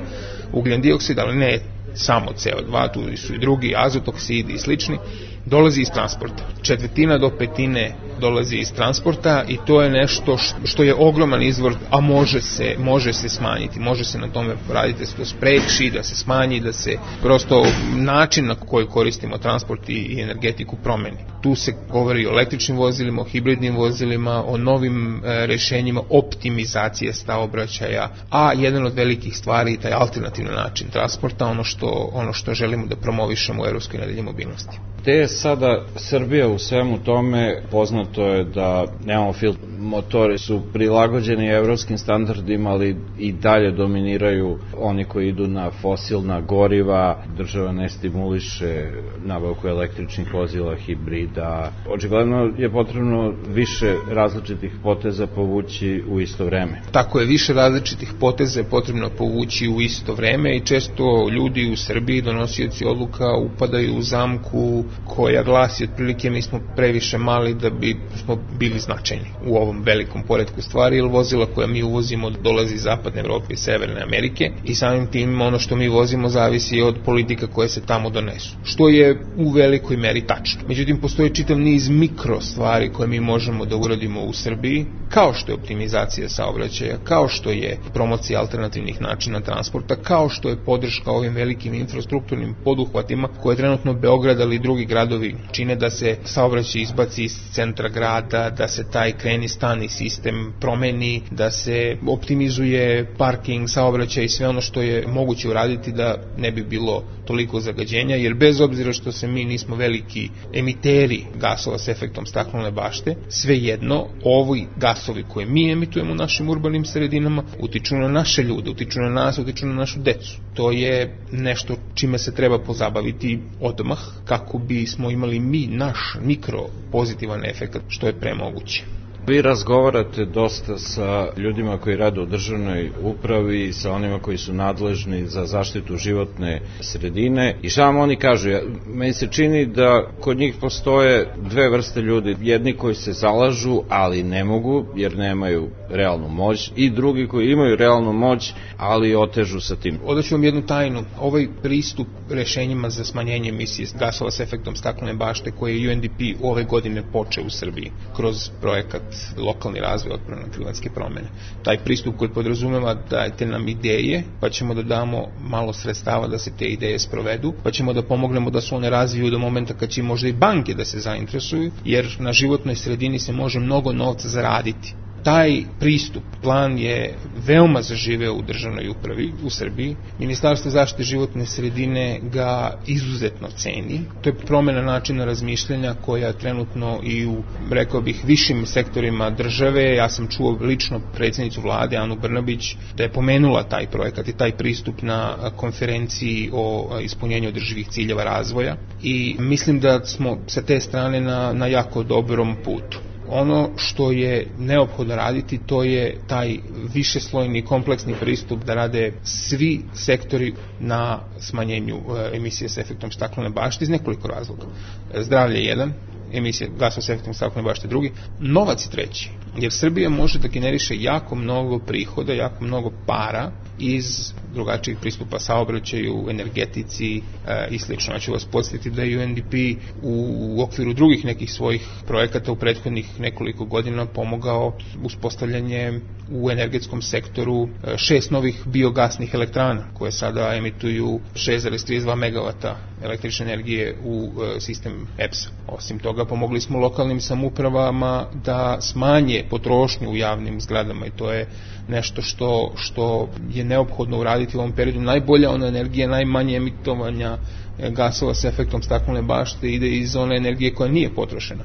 ugljen dioksid, ali ne samo CO2, tu su i drugi, azotoksidi i slični, dolazi iz transporta. 1/4 do 1/5 dolazi iz transporta i to je nešto što je ogroman izvor, a može se smanjiti, može se na tome raditi, da se to spreči, da se smanji, da se prosto način na koji koristimo transport i energetiku promeni. Tu se govori o električnim vozilima, o hibridnim vozilima, o novim rešenjima optimizacije saobraćaja, a jedan od velikih stvari je taj alternativni način transporta, ono što želimo da promovišemo u Evropskoj nedelji mobilnosti. Gde je sada Srbija u svemu tome? Poznato je da nemamo motori su prilagođeni evropskim standardima, ali i dalje dominiraju oni koji idu na fosilna goriva. Država ne stimuliše nabavku električnih vozila, hibrida. Očigledno je potrebno više različitih poteza povući u isto vreme. Tako je, više različitih poteza je potrebno povući u isto vreme i često ljudi u Srbiji, donosioci odluka, upadaju u zamku koja glasi otprilike mi smo previše mali da bi smo bili značajni u ovom velikom poretku stvari, jer vozila koja mi uvozimo dolazi iz Zapadne Evrope i Severne Amerike i samim tim ono što mi vozimo zavisi od politika koje se tamo donesu, što je u velikoj meri tačno. Međutim, postoji čitav niz mikro stvari koje mi možemo da uradimo u Srbiji, kao što je optimizacija saobraćaja, kao što je promocija alternativnih načina transporta, kao što je podrška ovim velikim infrastrukturnim poduhvatima koje trenutno Beograd ali i drugi gradovi čine da se saobraćaj izbaci iz centra grada, da se taj kreni-stani sistem promeni, da se optimizuje parking, saobraćaj i sve ono što je moguće uraditi da ne bi bilo toliko zagađenja, jer bez obzira što se mi nismo veliki emiteri gasova s efektom staklene bašte, svejedno ovi gasovi koje mi emitujemo u našim urbanim sredinama utiču na naše ljude, utiču na nas, utiču na našu decu. To je nešto čime se treba pozabaviti odmah kako bismo imali mi naš mikro pozitivan efekt što je premoguće. Vi razgovarate dosta sa ljudima koji rade u državnoj upravi i sa onima koji su nadležni za zaštitu životne sredine i šta vam oni kažu? Meni se čini da kod njih postoje dve vrste ljudi, jedni koji se zalažu ali ne mogu jer nemaju realnu moć i drugi koji imaju realnu moć ali otežu sa tim. Odaću vam jednu tajnu, ovaj pristup rešenjima za smanjenje emisije gasova s efektom staklene bašte koje je UNDP ove godine počeo u Srbiji kroz projekat lokalni razvoj otporno na klimatske promene. Taj pristup koji podrazumeva dajte nam ideje, pa ćemo da damo malo sredstava da se te ideje sprovedu, pa ćemo da pomognemo da se one razviju do momenta kad će možda i banke da se zainteresuju, jer na životnoj sredini se može mnogo novca zaraditi. Taj pristup, plan je veoma zaživeo u državnoj upravi u Srbiji. Ministarstvo zaštite životne sredine ga izuzetno ceni. To je promena načina razmišljanja koja trenutno i u, rekao bih, višim sektorima države. Ja sam čuo lično predsjednicu vlade, Anu Brnabić, da je pomenula taj projekat i taj pristup na konferenciji o ispunjenju održivih ciljeva razvoja i mislim da smo sa te strane na jako dobrom putu. Ono što je neophodno raditi, to je taj višeslojni kompleksni pristup da rade svi sektori na smanjenju emisije s efektom staklene bašte iz nekoliko razloga. Zdravlje je jedan, emisije gasova s efektom staklene bašte drugi, novac je treći, jer Srbija može da generiše jako mnogo prihoda, jako mnogo para iz drugačijih pristupa saobraćaju, energetici i slično. Ja ću vas podsjetiti da je UNDP u okviru drugih nekih svojih projekata u prethodnih nekoliko godina pomogao uspostavljanje u energetskom sektoru 6 novih biogasnih elektrana koje sada emituju 6,32 MW električne energije u sistem EPS-a. Osim toga, pomogli smo lokalnim samoupravama da smanje potrošnju u javnim zgradama i to je nešto što je neophodno uraditi u ovom periodu. Najbolja ona energija, najmanje emitovanja gasova s efektom staklene bašte ide iz one energije koja nije potrošena.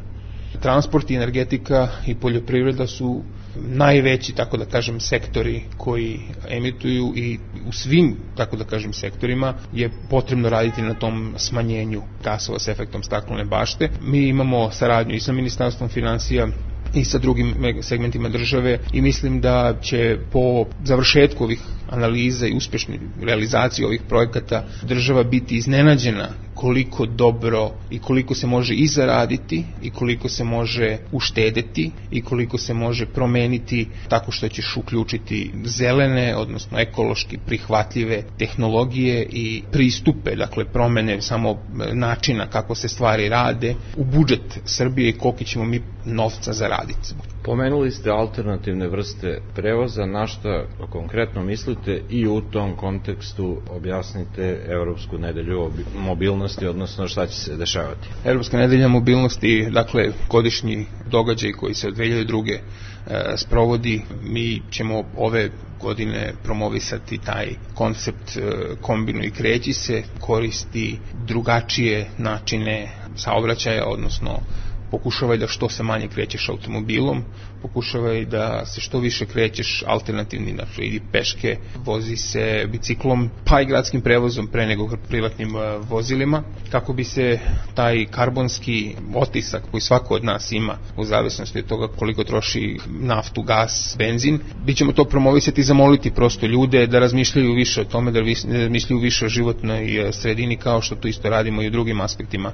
Transport i energetika i poljoprivreda su najveći, tako da kažem, sektori koji emituju i u svim, tako da kažem, sektorima je potrebno raditi na tom smanjenju gasova s efektom staklene bašte. Mi imamo saradnju i sa Ministarstvom finansija i sa drugim segmentima države i mislim da će po završetku ovih analiza i uspešne realizacije ovih projekata država biti iznenađena koliko dobro i koliko se može i zaraditi i koliko se može uštedeti i koliko se može promeniti tako što ćeš uključiti zelene, odnosno ekološki prihvatljive tehnologije i pristupe, dakle promene samo načina kako se stvari rade u budžet Srbije i koliko ćemo mi novca zaraditi. Pomenuli ste alternativne vrste prevoza, na šta konkretno mislite i u tom kontekstu objasnite Evropsku nedelju mobilnosti, odnosno šta će se dešavati. Evropska nedelja mobilnosti, dakle godišnji događaj koji se od 2002. sprovodi, mi ćemo ove godine promovisati taj koncept kombinuj i kreći se, koristi drugačije načine saobraćaja, odnosno pokušavaj da što se manje krećeš automobilom, pokušavaj da se što više krećeš alternativnim, znači idi peške, vozi se biciklom, pa i gradskim prevozom pre nego privatnim vozilima, kako bi se taj karbonski otisak koji svako od nas ima u zavisnosti od toga koliko troši naftu, gas, benzin, bit ćemo to promovisati i zamoliti prosto ljude da razmišljaju više o tome, da razmišljaju više o životnoj sredini, kao što to isto radimo i u drugim aspektima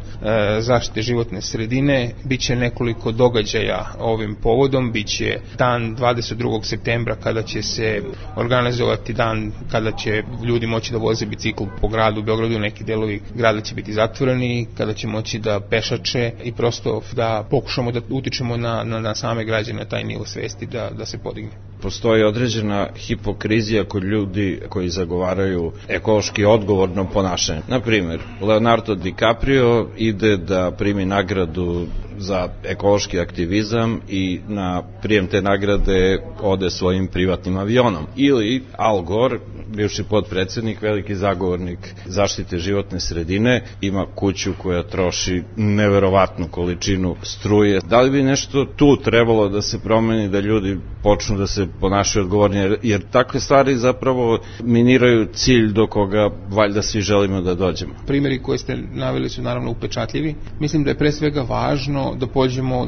zaštite životne sredine. Biće nekoliko događaja ovim povodom, biće dan 22. septembra kada će se organizovati dan kada će ljudi moći da voze bicikl po gradu Beogradu, neki delovi grada će biti zatvoreni, kada će moći da pešače i prosto da pokušamo da utičemo na same građane, taj nivo svesti da se podigne. Postoji određena hipokrizija kod ljudi koji zagovaraju ekološki odgovorno ponašanje. Na primjer, Leonardo DiCaprio ide da primi nagradu za ekološki aktivizam i na prijem te nagrade ode svojim privatnim avionom. Ili Al Gore, bivši potpredsednik, veliki zagovornik zaštite životne sredine, ima kuću koja troši neverovatnu količinu struje. Da li bi nešto tu trebalo da se promeni, da ljudi počnu da se ponašaju odgovornije, jer takve stvari zapravo miniraju cilj do koga valjda svi želimo da dođemo. Primjeri koje ste naveli su naravno upečatljivi. Mislim da je pre svega važno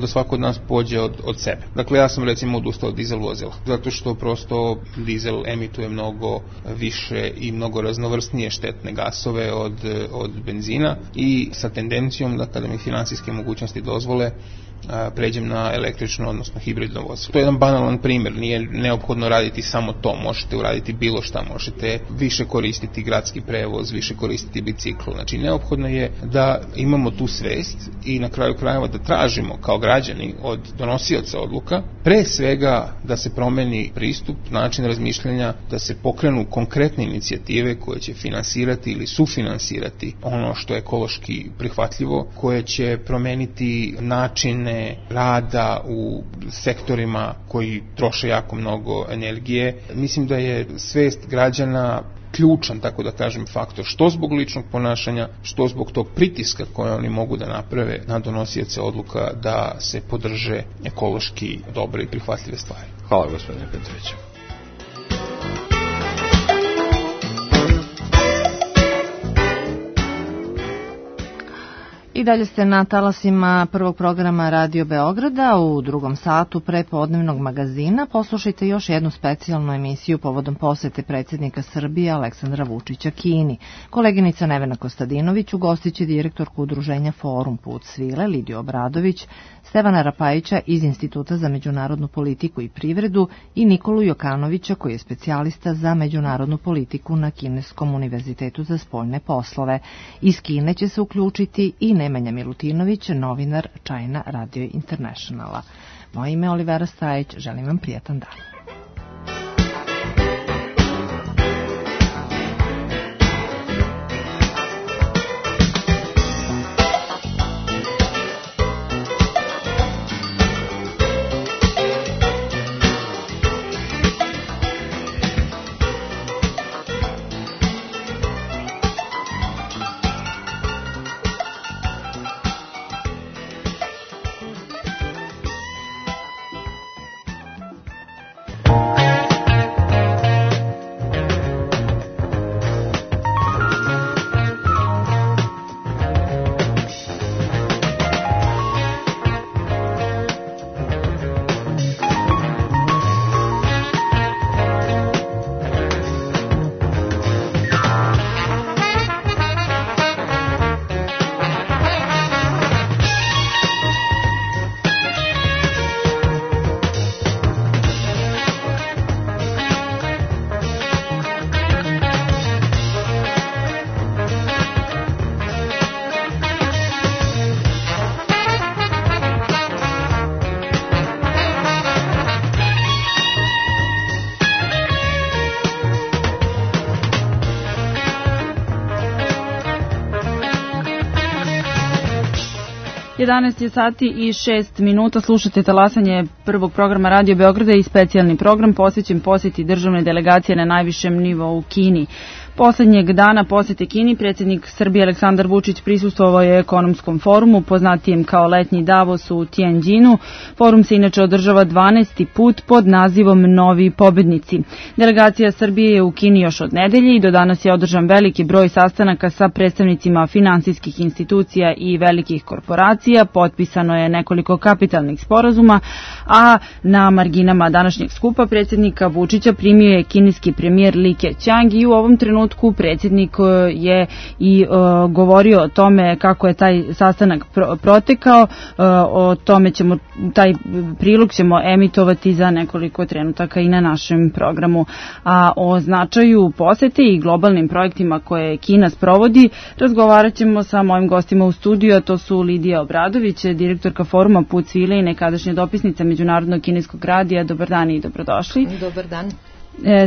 da svako od nas pođe od sebe. Dakle, ja sam recimo odustao od dizel vozila, zato što prosto dizel emituje mnogo više i mnogo raznovrsnije štetne gasove od benzina i sa tendencijom da kada mi finansijske mogućnosti dozvole pređem na električno, odnosno hibridno vozilo. To je jedan banalan primjer, nije neophodno raditi samo to, možete uraditi bilo šta, možete više koristiti gradski prevoz, više koristiti bicikl, znači neophodno je da imamo tu svest i na kraju krajeva da tražimo kao građani od donosioca odluka, pre svega da se promeni pristup, način razmišljanja, da se pokrenu konkretne inicijative koje će finansirati ili sufinansirati ono što je ekološki prihvatljivo, koje će promeniti načine rada u sektorima koji troše jako mnogo energije. Mislim da je svest građana ključan, tako da kažem, faktor, što zbog ličnog ponašanja, što zbog tog pritiska koje oni mogu da naprave na donosioce odluka da se podrže ekološki dobre i prihvatljive stvari. Hvala, gospodine Petroviću. I dalje ste na talasima prvog programa Radio Beograda. U drugom satu prepodnevnog magazina poslušajte još jednu specijalnu emisiju povodom posete predsjednika Srbije Aleksandra Vučića Kini. Koleginica Nevena Kostadinović ugostiće direktorku udruženja Forum Put svile Lidiju Obradović, Stevana Rapajića iz Instituta za međunarodnu politiku i privredu i Nikolu Jokanovića koji je specijalista za međunarodnu politiku na Kineskom univerzitetu za spoljne poslove. Iz Kine će se uključiti i Nemanja Milutinović, novinar China Radio Internationala. Moje ime je Olivera Stajić, želim vam prijatan dan. Je sati i 6 minuta, slušate talasanje prvog programa Radio Beograda i specijalni program posvećen posjeti državne delegacije na najvišem nivou u Kini. Poslednjeg dana posete Kini predsjednik Srbije Aleksandar Vučić prisustvovao je ekonomskom forumu, poznatijem kao letnji Davos u Tianjinu. Forum se inače održava 12. put pod nazivom Novi pobednici. Delegacija Srbije je u Kini još od nedelje i do danas je održan veliki broj sastanaka sa predstavnicima finansijskih institucija i velikih korporacija. Potpisano je nekoliko kapitalnih sporazuma, a na marginama današnjeg skupa predsjednika Vučića primio je kineski premijer Li Keqiang i u ovom trenutku predsjednik je i govorio o tome kako je taj sastanak protekao. O tome ćemo, taj prilog ćemo emitovati za nekoliko trenutaka i na našem programu. A o značaju posete i globalnim projektima koje Kina sprovodi razgovarat ćemo sa mojim gostima u studiju, a to su Lidija Obradović, direktorka foruma Put svile i nekadašnja dopisnica Međunarodnog kineskog radija. Dobar dan i dobrodošli. Dobar dan.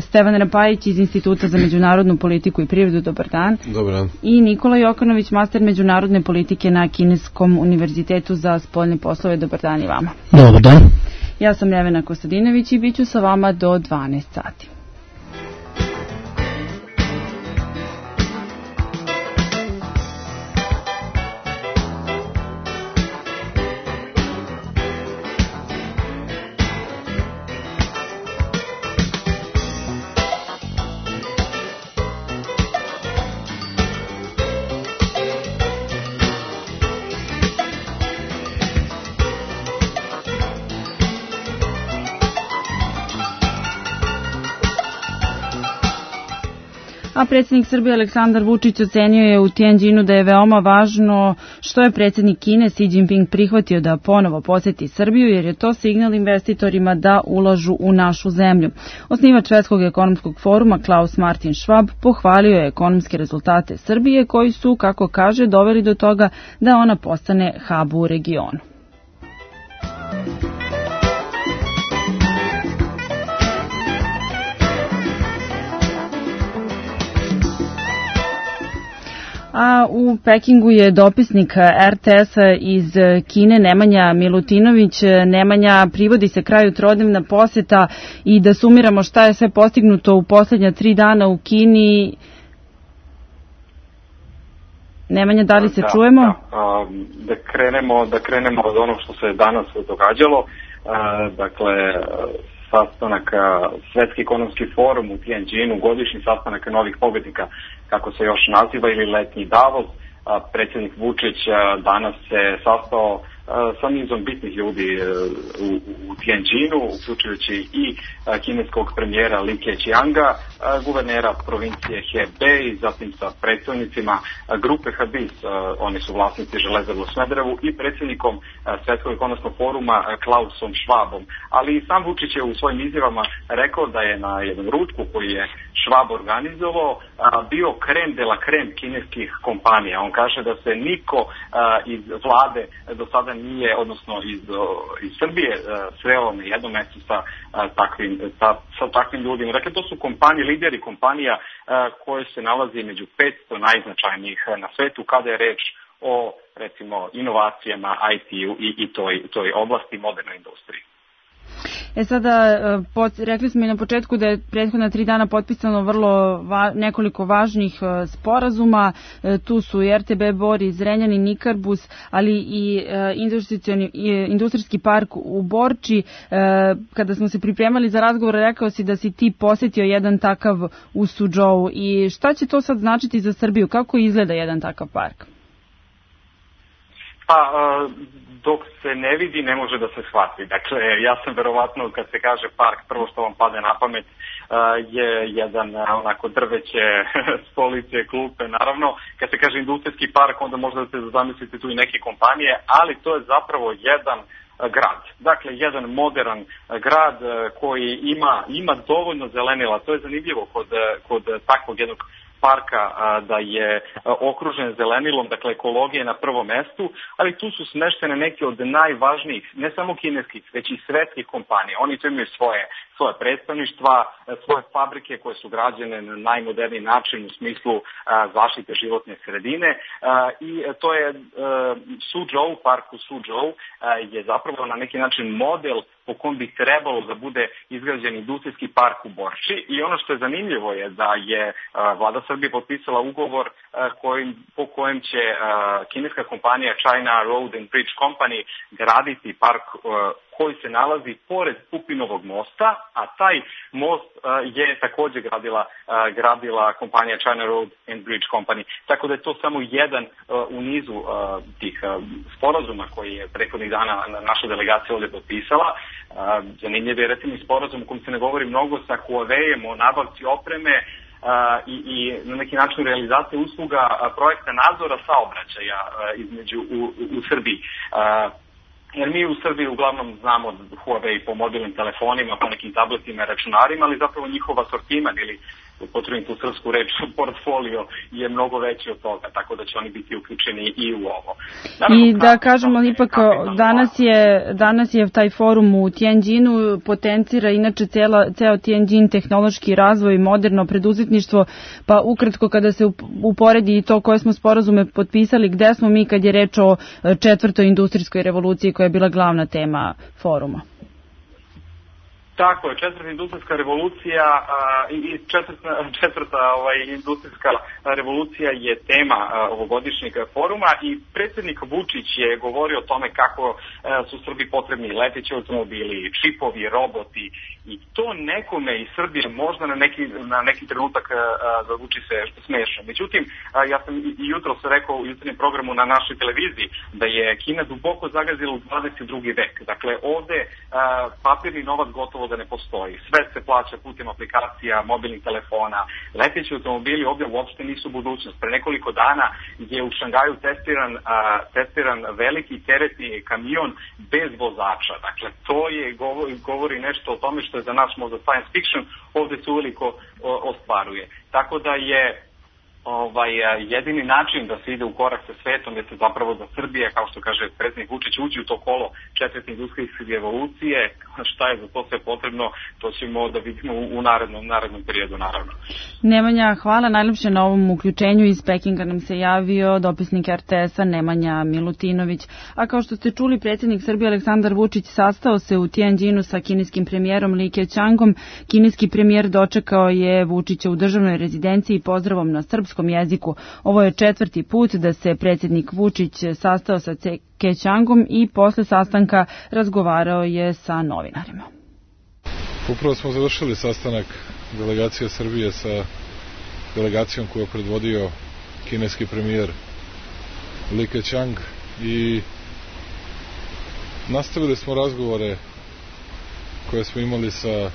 Stevan Rapajić iz Instituta za međunarodnu politiku i privredu. Dobar dan. Dobar dan. I Nikola Jokanović, master međunarodne politike na Kineskom univerzitetu za spoljne poslove. Dobar dan i vama. Dobar dan. Ja sam Nevena Kostadinović i bit ću sa vama do 12 sati. A predsjednik Srbije Aleksandar Vučić ocenio je u Tianjinu da je veoma važno što je predsjednik Kine Xi Jinping prihvatio da ponovo poseti Srbiju, jer je to signal investitorima da ulažu u našu zemlju. Osnivač Svetskog ekonomskog foruma Klaus Martin Schwab pohvalio je ekonomske rezultate Srbije koji su, kako kaže, doveli do toga da ona postane hub u regionu. A u Pekingu je dopisnik RTS-a iz Kine Nemanja Milutinović. Nemanja, privodi se kraju trodnevna poseta i da sumiramo šta je sve postignuto u posljednja 3 dana u Kini. Nemanja, da li se čujemo? Da krenemo od onog što se danas događalo. Dakle, sastanak Svetski ekonomski forum u Tianjinu, godišnji sastanak novih pobednika, kako se još naziva, ili letnji Davos. Predsjednik Vučić danas se sastao sa nizom bitnih ljudi u Tianjinu, uključujući i kineskog premijera Li Keqianga, guvernera provincije Hebei, zatim sa predstavnicima grupe Habis, oni su vlasnici Železare u Smederevu, i predsjednikom Svetskog ekonomskog foruma Klausom Schwabom. Ali i sam Vučić je u svojim izjavama rekao da je na jednom ručku koji je Schwab organizovao bio krem de la krem kineskih kompanija. On kaže da se niko iz vlade do sada nije, odnosno iz Srbije, sreo na jednom mjestu sa takvim ljudima. Dakle, to su kompanije, lideri kompanija koje se nalazi među 500 najznačajnijih na svetu kada je reč o, recimo, inovacijama, IT-u i toj oblasti, modernoj industriji. Sada, rekli smo i na početku da je prethodna 3 dana potpisano nekoliko važnih sporazuma. Tu su i RTB Bor, i Zrenjanin, Nikarbus, ali i industrijski park u Borči. Kada smo se pripremali za razgovor, rekao si da si ti posjetio jedan takav u Suzhou. I šta će to sad značiti za Srbiju? Kako izgleda jedan takav park? Dok se ne vidi, ne može da se shvati. Dakle, ja sam verovatno, kad se kaže park, prvo što vam pade na pamet je jedan onako drveće, stolice, klupe. Naravno, kad se kaže industrijski park, onda možda da se zamislite tu i neke kompanije, ali to je zapravo jedan grad. Dakle, jedan modern grad koji ima dovoljno zelenila. To je zanimljivo kod takvog jednog parka, da je okružen zelenilom, dakle ekologija na prvom mestu, ali tu su smeštene neke od najvažnijih, ne samo kineskih, već i svetskih kompanija. Oni tu imaju svoje svoje predstavništva, svoje fabrike koje su građene na najmoderniji način u smislu zaštite životne sredine i to je Suzhou, park u Suzhou je zapravo na neki način model po kom bi trebalo da bude izgrađen industrijski park u Borči i ono što je zanimljivo je da je vlada Srbije potpisala ugovor po kojem će kineska kompanija China Road and Bridge Company graditi park koji se nalazi pored Pupinovog mosta, a taj most je takođe gradila kompanija China Road and Bridge Company. Tako da je to samo jedan u nizu tih sporazuma koji je prethodnih dana naša delegacija ovde potpisala. Zanimljiv je recimo sporazum u kojem se ne govori mnogo sa Huawei-em o nabavci opreme i na neki način realizacije usluga projekta nadzora saobraćaja u Srbiji. Jer mi u Srbiji uglavnom znamo Huawei po mobilnim telefonima, po nekim tabletima i računarima, ali zapravo njihov asortiman ili potrebim tu srpsku reč, portfolio je mnogo veći od toga, tako da će oni biti uključeni i u ovo. I da kažemo, ipak danas je taj forum u Tianjinu, potencira inače ceo Tianjin tehnološki razvoj i moderno preduzetništvo, pa ukratko kada se uporedi i to koje smo sporazume potpisali, gde smo mi kad je reč o četvrtoj industrijskoj revoluciji koja je bila glavna tema foruma? Tako je, četvrta industrijska revolucija i četvrta industrijska revolucija je tema ovogodišnjeg foruma i predsjednik Vučić je govorio o tome kako su Srbiji potrebni leteći automobili, čipovi, roboti i to nekome iz Srbije možda na neki trenutak zvuči se smešno. Međutim, ja sam i jutros rekao u jutarnjem programu na našoj televiziji da je Kina duboko zagazila u 22. vek. Dakle, ovde papirni novac gotovo da ne postoji. Sve se plaća putem aplikacija, mobilnih telefona. Leteći automobili ovdje uopšte nisu budućnost. Pre nekoliko dana je u Šangaju testiran veliki teretni kamion bez vozača. Dakle, to je govori nešto o tome što je za nas možda science fiction, ovdje se uveliko ostvaruje. Tako da je jedini način da se ide u korak sa svetom je se zapravo da Srbija, kao što kaže predsjednik Vučić, uđe u to kolo četvrte industrijske revolucije. Šta je za to sve potrebno, to ćemo da vidimo u narednom periodu, naravno. Nemanja, hvala najlepše na ovom uključenju. Iz Pekinga nam se javio dopisnik RTS-a Nemanja Milutinović. A kao što ste čuli, predsjednik Srbije Aleksandar Vučić sastao se u Tianjinu sa kineskim premijerom Li Keqiangom. Kineski premijer dočekao je Vučića u državnoj rezidenciji pozdravom na srpskom jeziku. Ovo je četvrti put da se predsjednik Vučić sastao sa Keqiangom i posle sastanka razgovarao je sa novinarima. Upravo smo završili sastanak delegacije Srbije sa delegacijom koju je predvodio kineski premijer Li Keqiang i nastavili smo razgovore koje smo imali sa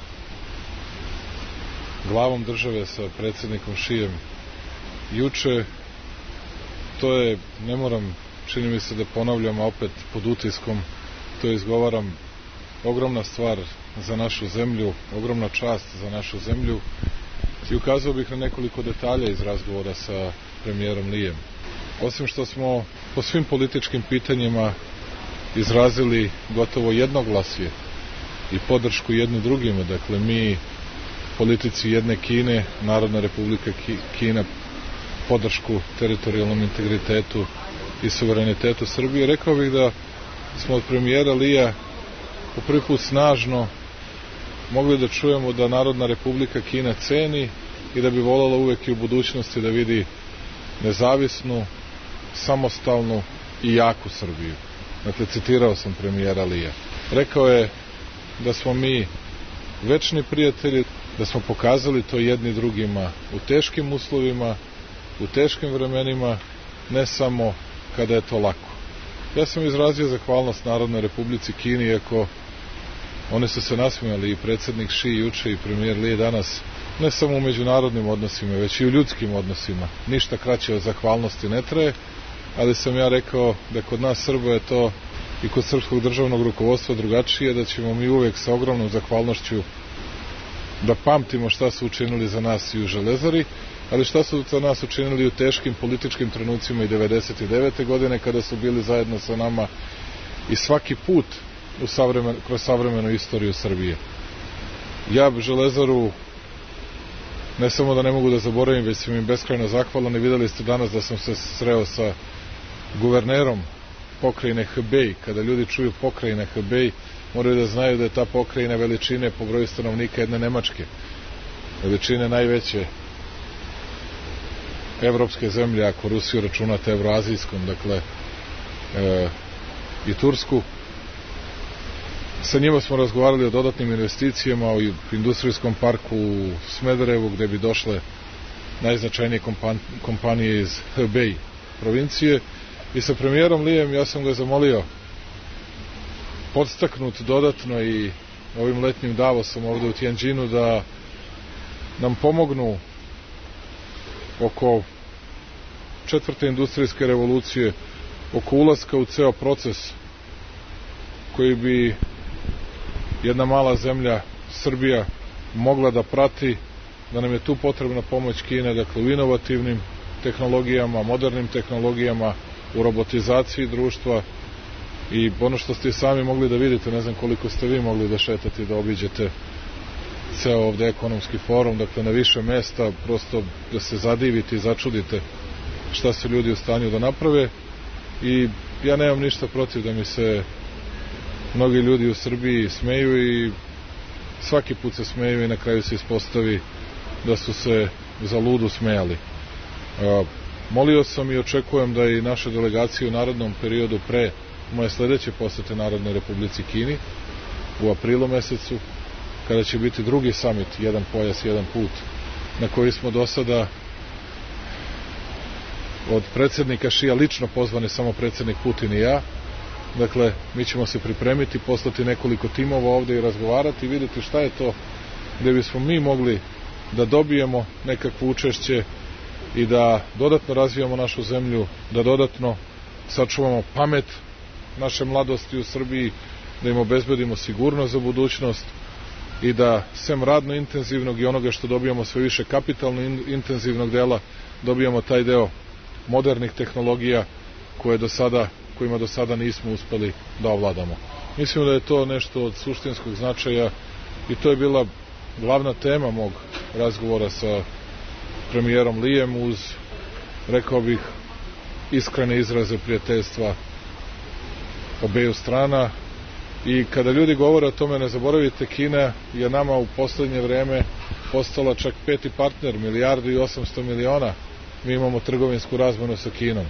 glavom države, sa predsjednikom Šijem juče. To je, ne moram, čini mi se da ponavljam, a opet pod utiskom to izgovaram, ogromna stvar za našu zemlju, ogromna čast za našu zemlju i ukazao bih na nekoliko detalja iz razgovora sa premijerom Lijem. Osim što smo po svim političkim pitanjima izrazili gotovo jednoglasje i podršku jedni drugima, dakle mi politici jedne Kine, Narodna republika Kina, podršku teritorijalnom integritetu i suverenitetu Srbije, rekao bih da smo od premijera Lija po prvi put snažno mogli da čujemo da Narodna republika Kina ceni i da bi voljela uvek i u budućnosti da vidi nezavisnu, samostalnu i jaku Srbiju. Dakle, citirao sam premijera Lija. Rekao je da smo mi večni prijatelji, da smo pokazali to jedni drugima u teškim uslovima, u teškim vremenima, ne samo kada je to lako. Ja sam izrazio zahvalnost Narodnoj republici Kini, iako oni su se nasmijali, i predsjednik Ši juče i premijer Li danas, ne samo u međunarodnim odnosima, već i u ljudskim odnosima. Ništa kraće od zahvalnosti ne traje, ali sam ja rekao da kod nas Srba je to i kod srpskog državnog rukovodstva drugačije, da ćemo mi uvek sa ogromnom zahvalnošću da pamtimo šta su učinili za nas i u Železari, ali šta su za nas učinili u teškim političkim trenucima i 99. godine kada su bili zajedno sa nama i svaki put kroz savremenu istoriju Srbije. Ja Železaru ne samo da ne mogu da zaboravim, već sam im beskrajno zahvalan i videli ste danas da sam se sreo sa guvernerom pokrajine Hebej. Kada ljudi čuju pokrajine Hebej, moraju da znaju da je ta pokrajina veličine po broju stanovnika jedne Nemačke. Veličine najveće evropske zemlje, ako Rusiju računate evroazijskom, dakle i Tursku. Sa njima smo razgovarali o dodatnim investicijama u industrijskom parku u Smederevu, gde bi došle najznačajnije kompanije iz Hebej provincije. I sa premijerom Lijem ja sam ga zamolio, podstaknut dodatno i ovim letnjim Davosom ovde u Tianjinu, da nam pomognu oko 4. industrijske revolucije, oko ulaska u ceo proces koji bi jedna mala zemlja, Srbija, mogla da prati, da nam je tu potrebna pomoć Kine, dakle u inovativnim tehnologijama, modernim tehnologijama, u robotizaciji društva i ono što ste sami mogli da vidite, ne znam koliko ste vi mogli da šetate, da obiđete ceo ovde ekonomski forum, dakle na više mesta, prosto da se zadivite i začudite šta su ljudi u stanju da naprave. I ja nemam ništa protiv da mi se mnogi ljudi u Srbiji smeju i svaki put se smeju i na kraju se ispostavi da su se za ludu smejali. Molio sam i očekujem da i naše delegacije u narednom periodu pre moje sledeće posete Narodnoj Republici Kini u aprilu mesecu, kada će biti drugi summit, jedan pojas, jedan put, na koji smo do sada od predsjednika Šija lično pozvani samo predsjednik Putin i ja. Dakle, mi ćemo se pripremiti, poslati nekoliko timova ovde i razgovarati i vidjeti šta je to gde bismo mi mogli da dobijemo nekakvo učešće i da dodatno razvijamo našu zemlju, da dodatno sačuvamo pamet naše mladosti u Srbiji, da im obezbedimo sigurnost za budućnost i da sem radno intenzivnog i onoga što dobijamo sve više kapitalno intenzivnog dela, dobijamo taj deo modernih tehnologija kojima do sada nismo uspeli da ovladamo. Mislim da je to nešto od suštinskog značaja i to je bila glavna tema mog razgovora sa premijerom Lijem, uz, rekao bih, iskrene izraze prijateljstva obeju strana. I kada ljudi govore o tome, ne zaboravite, Kina je nama u poslednje vreme postala čak 5. partner, 1,8 milijardi. Mi imamo trgovinsku razmenu sa Kinom.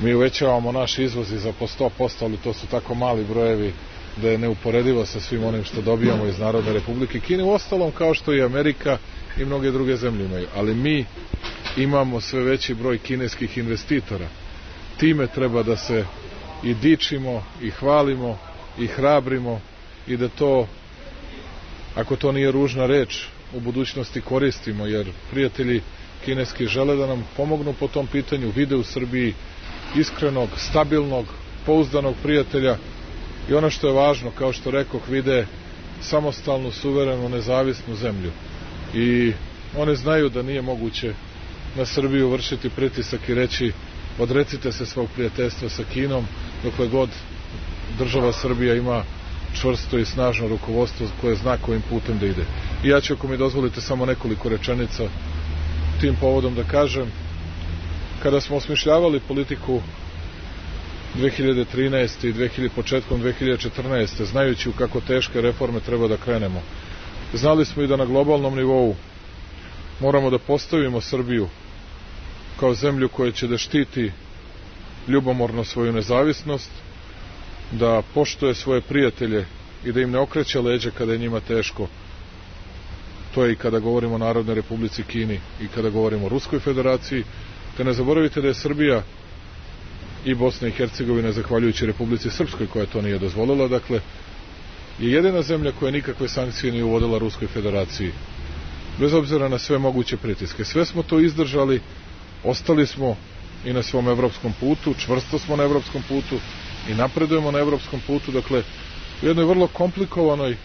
Mi uvećavamo naš izvoz i za po 100%, ali to su tako mali brojevi da je neuporedivo sa svim onim što dobijamo iz Narodne Republike Kine, uostalom kao što i Amerika i mnoge druge zemlje imaju. Ali mi imamo sve veći broj kineskih investitora. Time treba da se i dičimo, i hvalimo, i hrabrimo i da to, ako to nije ružna reč, u budućnosti koristimo, jer prijatelji kineski žele da nam pomognu po tom pitanju, vide u Srbiji iskrenog, stabilnog, pouzdanog prijatelja i ono što je važno, kao što rekoh, vide samostalnu, suverenu, nezavisnu zemlju. I one znaju da nije moguće na Srbiju vršiti pritisak i reći odrecite se svog prijateljstva sa Kinom, dokle god država Srbija ima čvrsto i snažno rukovodstvo koje zna kojim putem da ide. I ja ću, ako mi dozvolite, samo nekoliko rečenica tim povodom da kažem. Kada smo osmišljavali politiku 2013. i početkom 2014. znajući u kako teške reforme treba da krenemo, znali smo i da na globalnom nivou moramo da postavimo Srbiju kao zemlju koja će da štiti ljubomorno svoju nezavisnost, da poštuje svoje prijatelje i da im ne okreće leđa kada je njima teško. To je i kada govorimo o Narodnoj Republici Kini i kada govorimo o Ruskoj federaciji. Te ne zaboravite da je Srbija i Bosna i Hercegovina, zahvaljujući Republici Srpskoj koja to nije dozvolila, dakle, je jedina zemlja koja nikakve sankcije nije uvodila Ruskoj federaciji, bez obzira na sve moguće pritiske. Sve smo to izdržali, ostali smo i na svom evropskom putu, čvrsto smo na evropskom putu i napredujemo na evropskom putu. Dakle, u jednoj vrlo komplikovanoj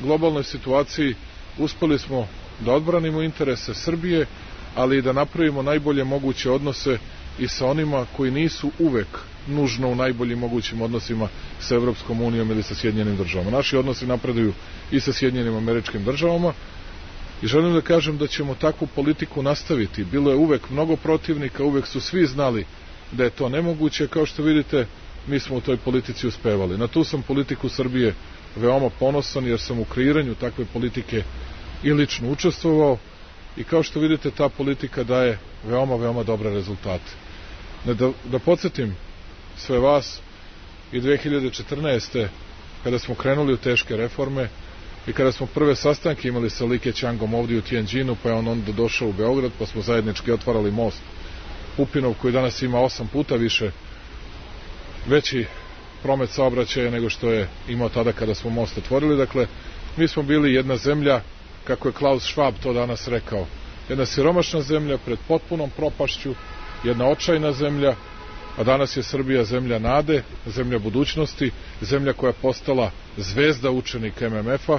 globalnoj situaciji uspeli smo da odbranimo interese Srbije, ali i da napravimo najbolje moguće odnose i sa onima koji nisu uvek nužno u najboljim mogućim odnosima sa Evropskom unijom ili sa Sjedinjenim državama. Naši odnosi napreduju i sa Sjedinjenim Američkim državama i želim da kažem da ćemo takvu politiku nastaviti. Bilo je uvek mnogo protivnika, uvek su svi znali da je to nemoguće. Kao što vidite, mi smo u toj politici uspevali. Na tu sam politiku Srbije veoma ponosan, jer sam u kreiranju takve politike i lično učestvovao i kao što vidite, ta politika daje veoma, veoma dobre rezultate. Da podsjetim sve vas, i 2014. kada smo krenuli u teške reforme i kada smo prve sastanke imali sa Li Keqiangom ovdje u Tianjinu, pa je on onda došao u Beograd, pa smo zajednički otvarali most Pupinov, koji danas ima 8 puta veći promet saobraćaja nego što je imao tada kada smo most otvorili. Dakle, mi smo bili jedna zemlja, kako je Klaus Schwab to danas rekao, jedna siromašna zemlja pred potpunom propašću, jedna očajna zemlja, a danas je Srbija zemlja nade, zemlja budućnosti, zemlja koja je postala zvezda učenika MMF-a,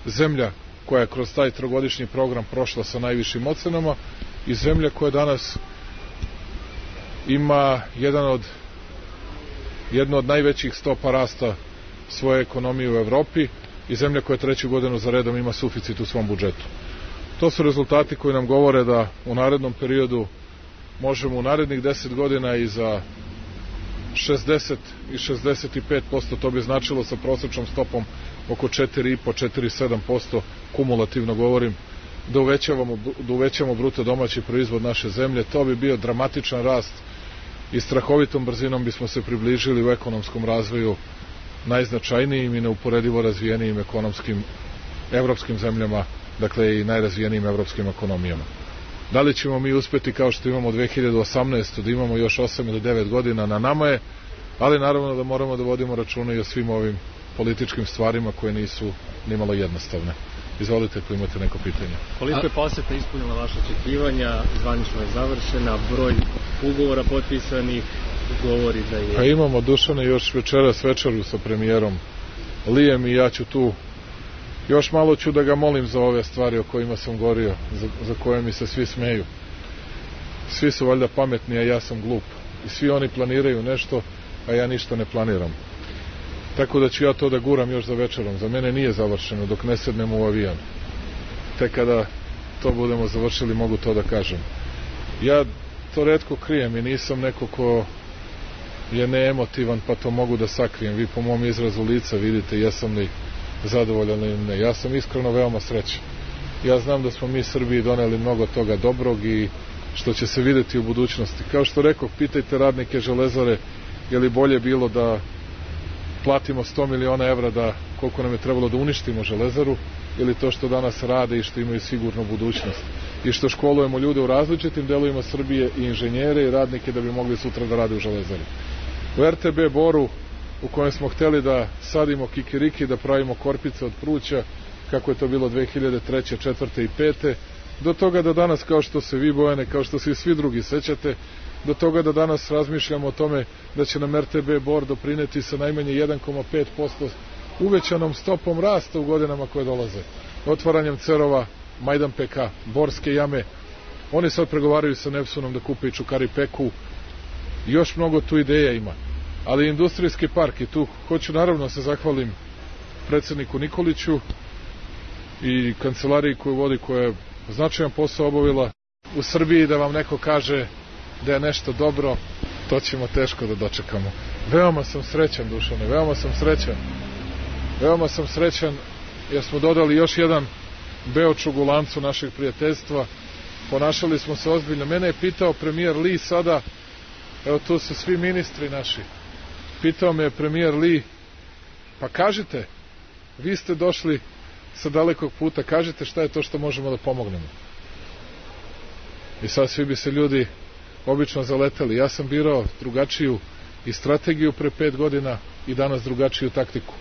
zemlja koja je kroz taj trogodišnji program prošla sa najvišim ocenama i zemlja koja danas ima jednu od najvećih stopa rasta svoje ekonomije u Evropi i zemlja koja 3. godinu za redom ima suficit u svom budžetu. To su rezultati koji nam govore da u narednom periodu možemo u narednih 10 godina i za 60 i 65%, to bi značilo sa prosječnom stopom oko 4,5-4,7%, kumulativno govorim, da uvećamo bruto domaći proizvod naše zemlje. To bi bio dramatičan rast i strahovitom brzinom bismo se približili u ekonomskom razvoju najznačajnijim i neuporedivo razvijenijim ekonomskim evropskim zemljama, dakle i najrazvijenijim evropskim ekonomijama. Da li ćemo mi uspeti kao što imamo 2018. da imamo još 8 ili 9 godina, na nama je, ali naravno da moramo da vodimo računa i o svim ovim političkim stvarima koje nisu nimalo jednostavne. Izvolite ako imate neko pitanje. Koliko je poseta ispunila vaše očekivanja, zvanično je završena, broj ugovora potpisanih govori da je... Pa imamo, Dušane, još večeras večeru sa premijerom Lijem i ja ću tu, još malo ću da ga molim za ove stvari o kojima sam govorio, za koje mi se svi smeju. Svi su valjda pametni, a ja sam glup. I svi oni planiraju nešto, a ja ništa ne planiram. Tako da ću ja to da guram još za večerom. Za mene nije završeno dok ne sednemo u avijan. Tek kada to budemo završili mogu to da kažem. Ja to retko krijem i nisam neko ko je neemotivan pa to mogu da sakrijem. Vi po mom izrazu lica vidite jesam li zadovoljan ili ne. Ja sam iskreno veoma srećan. Ja znam da smo mi Srbiji doneli mnogo toga dobrog i što će se videti u budućnosti. Kao što rekoh, pitajte radnike Železare je li bolje bilo da platimo 100 miliona evra da koliko nam je trebalo da uništimo Železaru ili to što danas rade i što imaju sigurnu budućnost i što školujemo ljude u različitim delovima Srbije i inženjere i radnike da bi mogli sutra da rade u Železari. U RTB Boru u kojem smo hteli da sadimo kikiriki, da pravimo korpice od pruća kako je to bilo 2003. 4. i 5. do toga da danas, kao što se vi, Bojane, kao što se i svi drugi sećate, do toga da danas razmišljamo o tome da će nam RTB Bor doprineti sa najmanje 1,5% uvećanom stopom rasta u godinama koje dolaze. Otvaranjem cerova Majdan PK, Borske jame, oni sad pregovaraju sa Nepsunom da kupe i Čukari Peku, još mnogo tu ideja ima. Ali industrijski park, i tu hoću naravno se zahvalim predsjedniku Nikoliću i kancelariji koju vodi, koja je značajan posao obavila u Srbiji, da vam neko kaže da je nešto dobro, to ćemo teško da dočekamo. Veoma sam srećan, Dušane, veoma sam srećan jer smo dodali još jedan beočug u lancu našeg prijateljstva. Ponašali smo se ozbiljno. Mene je pitao premijer Li sada, evo tu su svi ministri naši, pitao me je premijer Li, pa kažite, vi ste došli sa dalekog puta, kažite šta je to što možemo da pomognemo. I sad svi bi se ljudi obično zaleteli. Ja sam birao drugačiju i strategiju pre 5 godina i danas drugačiju taktiku.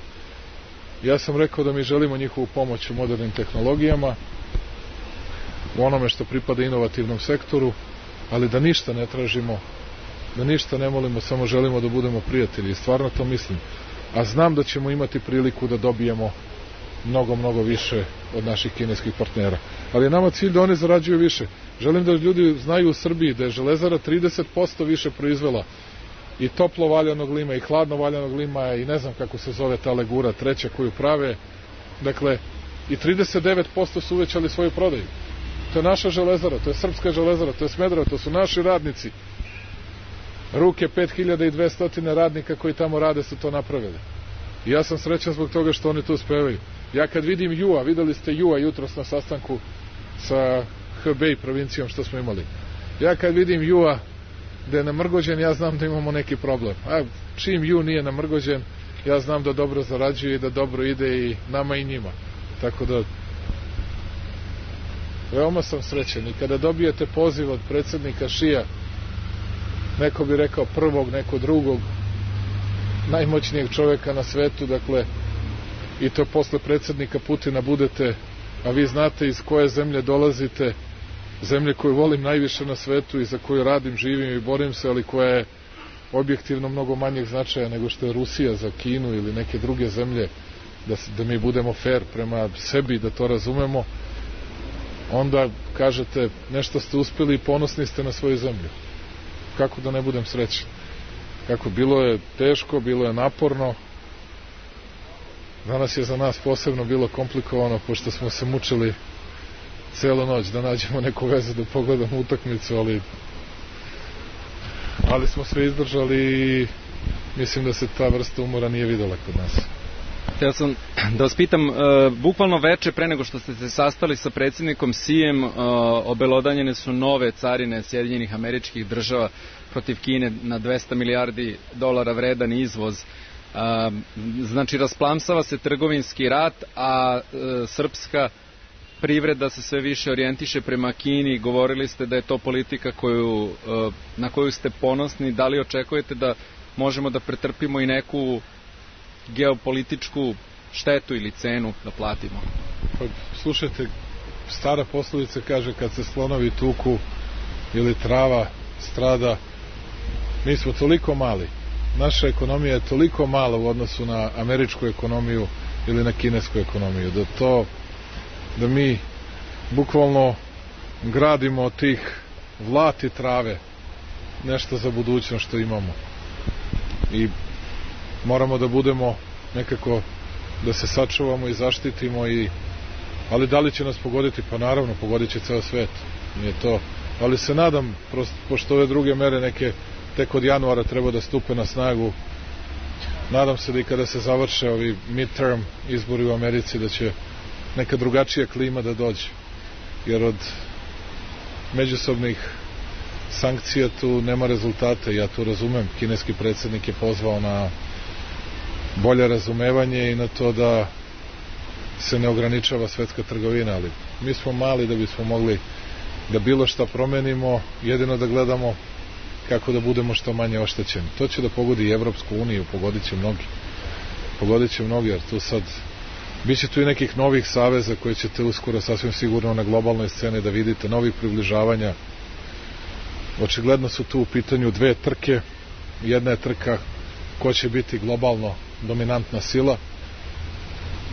Ja sam rekao da mi želimo njihovu pomoć u modernim tehnologijama, u onome što pripada inovativnom sektoru, ali da ništa ne tražimo, da ništa ne molimo, samo želimo da budemo prijatelji. I stvarno to mislim. A znam da ćemo imati priliku da dobijemo mnogo, mnogo više od naših kineskih partnera. Ali je nama cilj da oni zarađuju više. Želim da ljudi znaju u Srbiji da je Železara 30% više proizvela i toplo valjanog lima i hladno valjanog lima i ne znam kako se zove ta legura treća koju prave. Dakle, i 39% su uvećali svoju prodaju. To je naša železara, to je srpska železara, to je Smederevo, to su naši radnici. Ruke 5200 radnika koji tamo rade su to napravili. I ja sam srećan zbog toga što oni tu uspevaju. Ja kad vidim Jua, videli ste Jua jutros na sastanku sa Hebei provincijom što smo imali. Ja kad vidim Jua da je namrgođen, ja znam da imamo neki problem. A čim Ju nije namrgođen, ja znam da dobro zarađuje i da dobro ide i nama i njima. Tako da veoma sam srećen i kada dobijete poziv od predsjednika Šija, neko bi rekao prvog, neko drugog, najmoćnijeg čovjeka na svetu, dakle, i to posle predsjednika Putina budete, a vi znate iz koje zemlje dolazite, zemlje koju volim najviše na svetu i za koju radim, živim i borim se, ali koja je objektivno mnogo manjeg značaja nego što je Rusija za Kinu ili neke druge zemlje, da mi budemo fair prema sebi, da to razumemo, onda kažete nešto ste uspjeli i ponosni ste na svoju zemlju. Kako da ne budem srećan? Kako bilo je teško, bilo je naporno. Danas je za nas posebno bilo komplikovano, pošto smo se mučili celu noć da nađemo neku vezu da pogledamo utakmicu, ali smo sve izdržali i mislim da se ta vrsta umora nije videla kod nas. Htio sam da vas pitam, bukvalno veče pre nego što ste se sastali sa predsjednikom Sijem, obelodanjene su nove carine Sjedinjenih Američkih Država protiv Kine na 200 milijardi dolara vredan izvoz. Znači, rasplamsava se trgovinski rat, a srpska privreda se sve više orijentiše prema Kini. Govorili ste da je to politika na koju ste ponosni. Da li očekujete da možemo da pretrpimo i neku geopolitičku štetu ili cenu da platimo? Pa, slušajte, stara poslovica kaže kad se slonovi tuku ili trava strada, mi smo toliko mali, naša ekonomija je toliko mala u odnosu na američku ekonomiju ili na kinesku ekonomiju, da mi bukvalno gradimo od tih vlati trave nešto za budućnost što imamo i moramo da budemo nekako da se sačuvamo i zaštitimo ali da li će nas pogoditi? Pa naravno, pogodit će ceo svet, nije to, ali se nadam, pošto ove druge mere neke tek od januara treba da stupe na snagu, nadam se da i kada se završe ovi midterm izbori u Americi da će neka drugačija klima da dođe, jer od međusobnih sankcija tu nema rezultata. Ja to razumem, kineski predsjednik je pozvao na bolje razumevanje i na to da se ne ograničava svetska trgovina, ali mi smo mali da bismo mogli da bilo šta promenimo, jedino da gledamo kako da budemo što manje oštećeni. To će da pogodi i Evropsku uniju, pogodit će mnogi, jer tu sad biće tu i nekih novih saveza koje ćete uskoro sasvim sigurno na globalnoj sceni da vidite, novih približavanja. Očigledno su tu u pitanju dve trke. Jedna je trka ko će biti globalno dominantna sila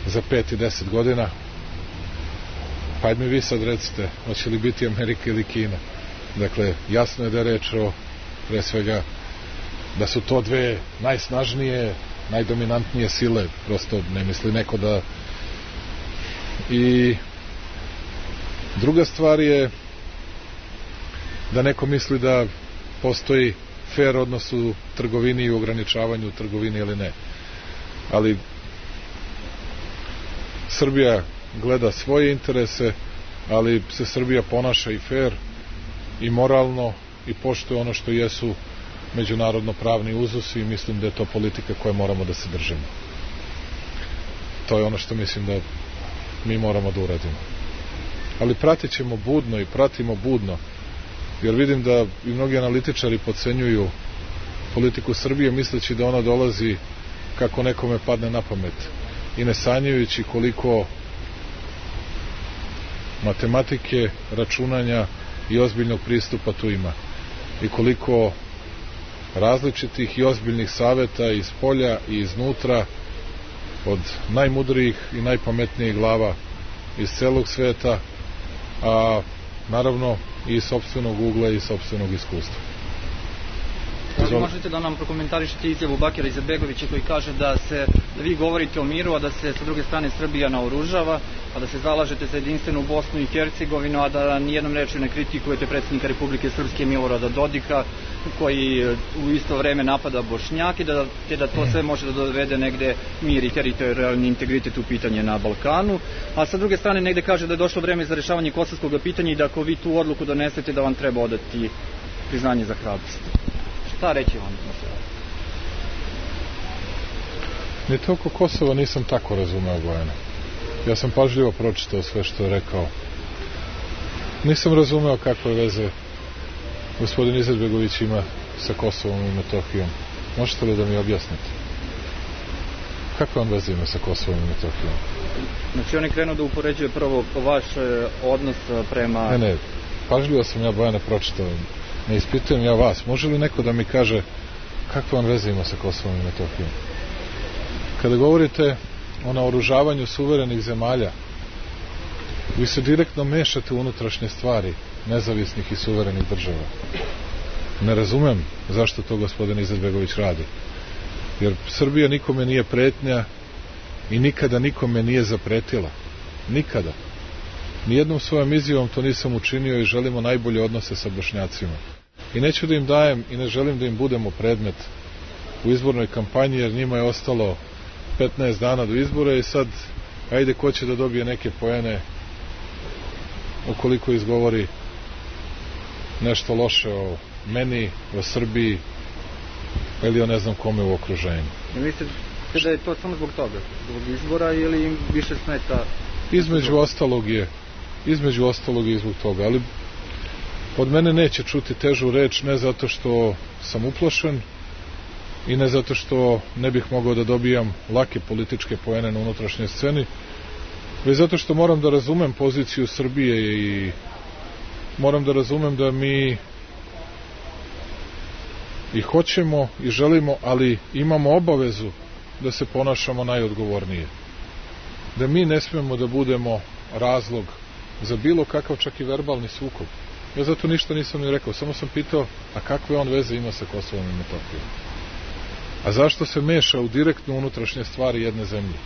za 5 i 10 godina. Pa ajde mi vi sad recite, hoće li biti Amerika ili Kina? Dakle, jasno je da je reč o, pre svega, da su to dve najsnažnije, najdominantnije sile, prosto ne misli neko da... I druga stvar je da neko misli da postoji fair odnos u trgovini i u ograničavanju trgovini ili ne. Ali Srbija gleda svoje interese, ali se Srbija ponaša i fair i moralno i poštuje ono što jesu međunarodno pravni uzusi i mislim da je to politika koje moramo da se držimo. To je ono što mislim da mi moramo da uradimo. Ali pratit ćemo budno i pratimo budno, jer vidim da i mnogi analitičari podcenjuju politiku Srbije misleći da ona dolazi kako nekome padne na pamet i ne sanjajući koliko matematike, računanja i ozbiljnog pristupa tu ima i koliko različitih i ozbiljnih saveta iz polja i iznutra od najmudrijih i najpametnijih glava iz celog sveta, a naravno i iz sopstvenog ugla i sopstvenog iskustva. Izvoli. li možete da nam prokomentarišete izjavu Bakira Izetbegovića koji kaže da vi govorite o miru, a da se sa druge strane Srbija naoružava, a da se zalažete za jedinstvenu Bosnu i Hercegovinu, a da nijednom rečju ne kritikujete predsjednika Republike Srpske Milorada Dodika, koji u isto vreme napada Bošnjake, te da to sve može da dovede negde mir i teritorijalni integritet u pitanje na Balkanu, a sa druge strane negde kaže da je došlo vreme za rešavanje kosovskog pitanja i da ako vi tu odluku donesete da vam treba odati priznanje za hrabrost. Šta reći vam? Ni to oko Kosova nisam tako razumeo, Bojana. Ja sam pažljivo pročitao sve što je rekao. Nisam razumeo kakve veze gospodin Izetbegović ima sa Kosovom i Metohijom. Možete li da mi objasnite? Kakve on veze ima sa Kosovom i Metohijom? Znači on je krenuo da upoređuje prvo vaš odnos prema... Ne, pažljivo sam ja, Bojane, pročitao. Ne ispitujem ja vas. Može li neko da mi kaže kakve on veze ima sa Kosovom i Metohijom? Kada govorite o naoružavanju suverenih zemalja, vi se direktno mešate u unutrašnje stvari nezavisnih i suverenih država. Ne razumem zašto to gospodin Izetbegović radi. Jer Srbija nikome nije pretnja i nikada nikome nije zapretila. Nikada. Nijednom svojom izjavom to nisam učinio i želimo najbolje odnose sa Bošnjacima. I neću da im dajem i ne želim da im budemo predmet u izbornoj kampanji, jer njima je ostalo 15 dana do izbora i sad, ajde, ko će da dobije neke poene ukoliko izgovori nešto loše o meni, o Srbiji ili o ne znam kome u okruženju. I mislite da je to samo zbog toga? Zbog izbora ili im više smeta? Između ostalog je i zbog toga, ali od mene neće čuti težu reč, ne zato što sam uplošen i ne zato što ne bih mogao da dobijam lake političke poene na unutrašnjoj sceni, već zato što moram da razumem poziciju Srbije i moram da razumem da mi i hoćemo i želimo, ali imamo obavezu da se ponašamo najodgovornije. Da mi ne smemo da budemo razlog za bilo kakav čak i verbalni sukob. Ja zato ništa nisam ni rekao, samo sam pitao, a kakve on veze ima sa Kosovom i Metohijom? A zašto se meša u direktno unutrašnje stvari jedne zemlje?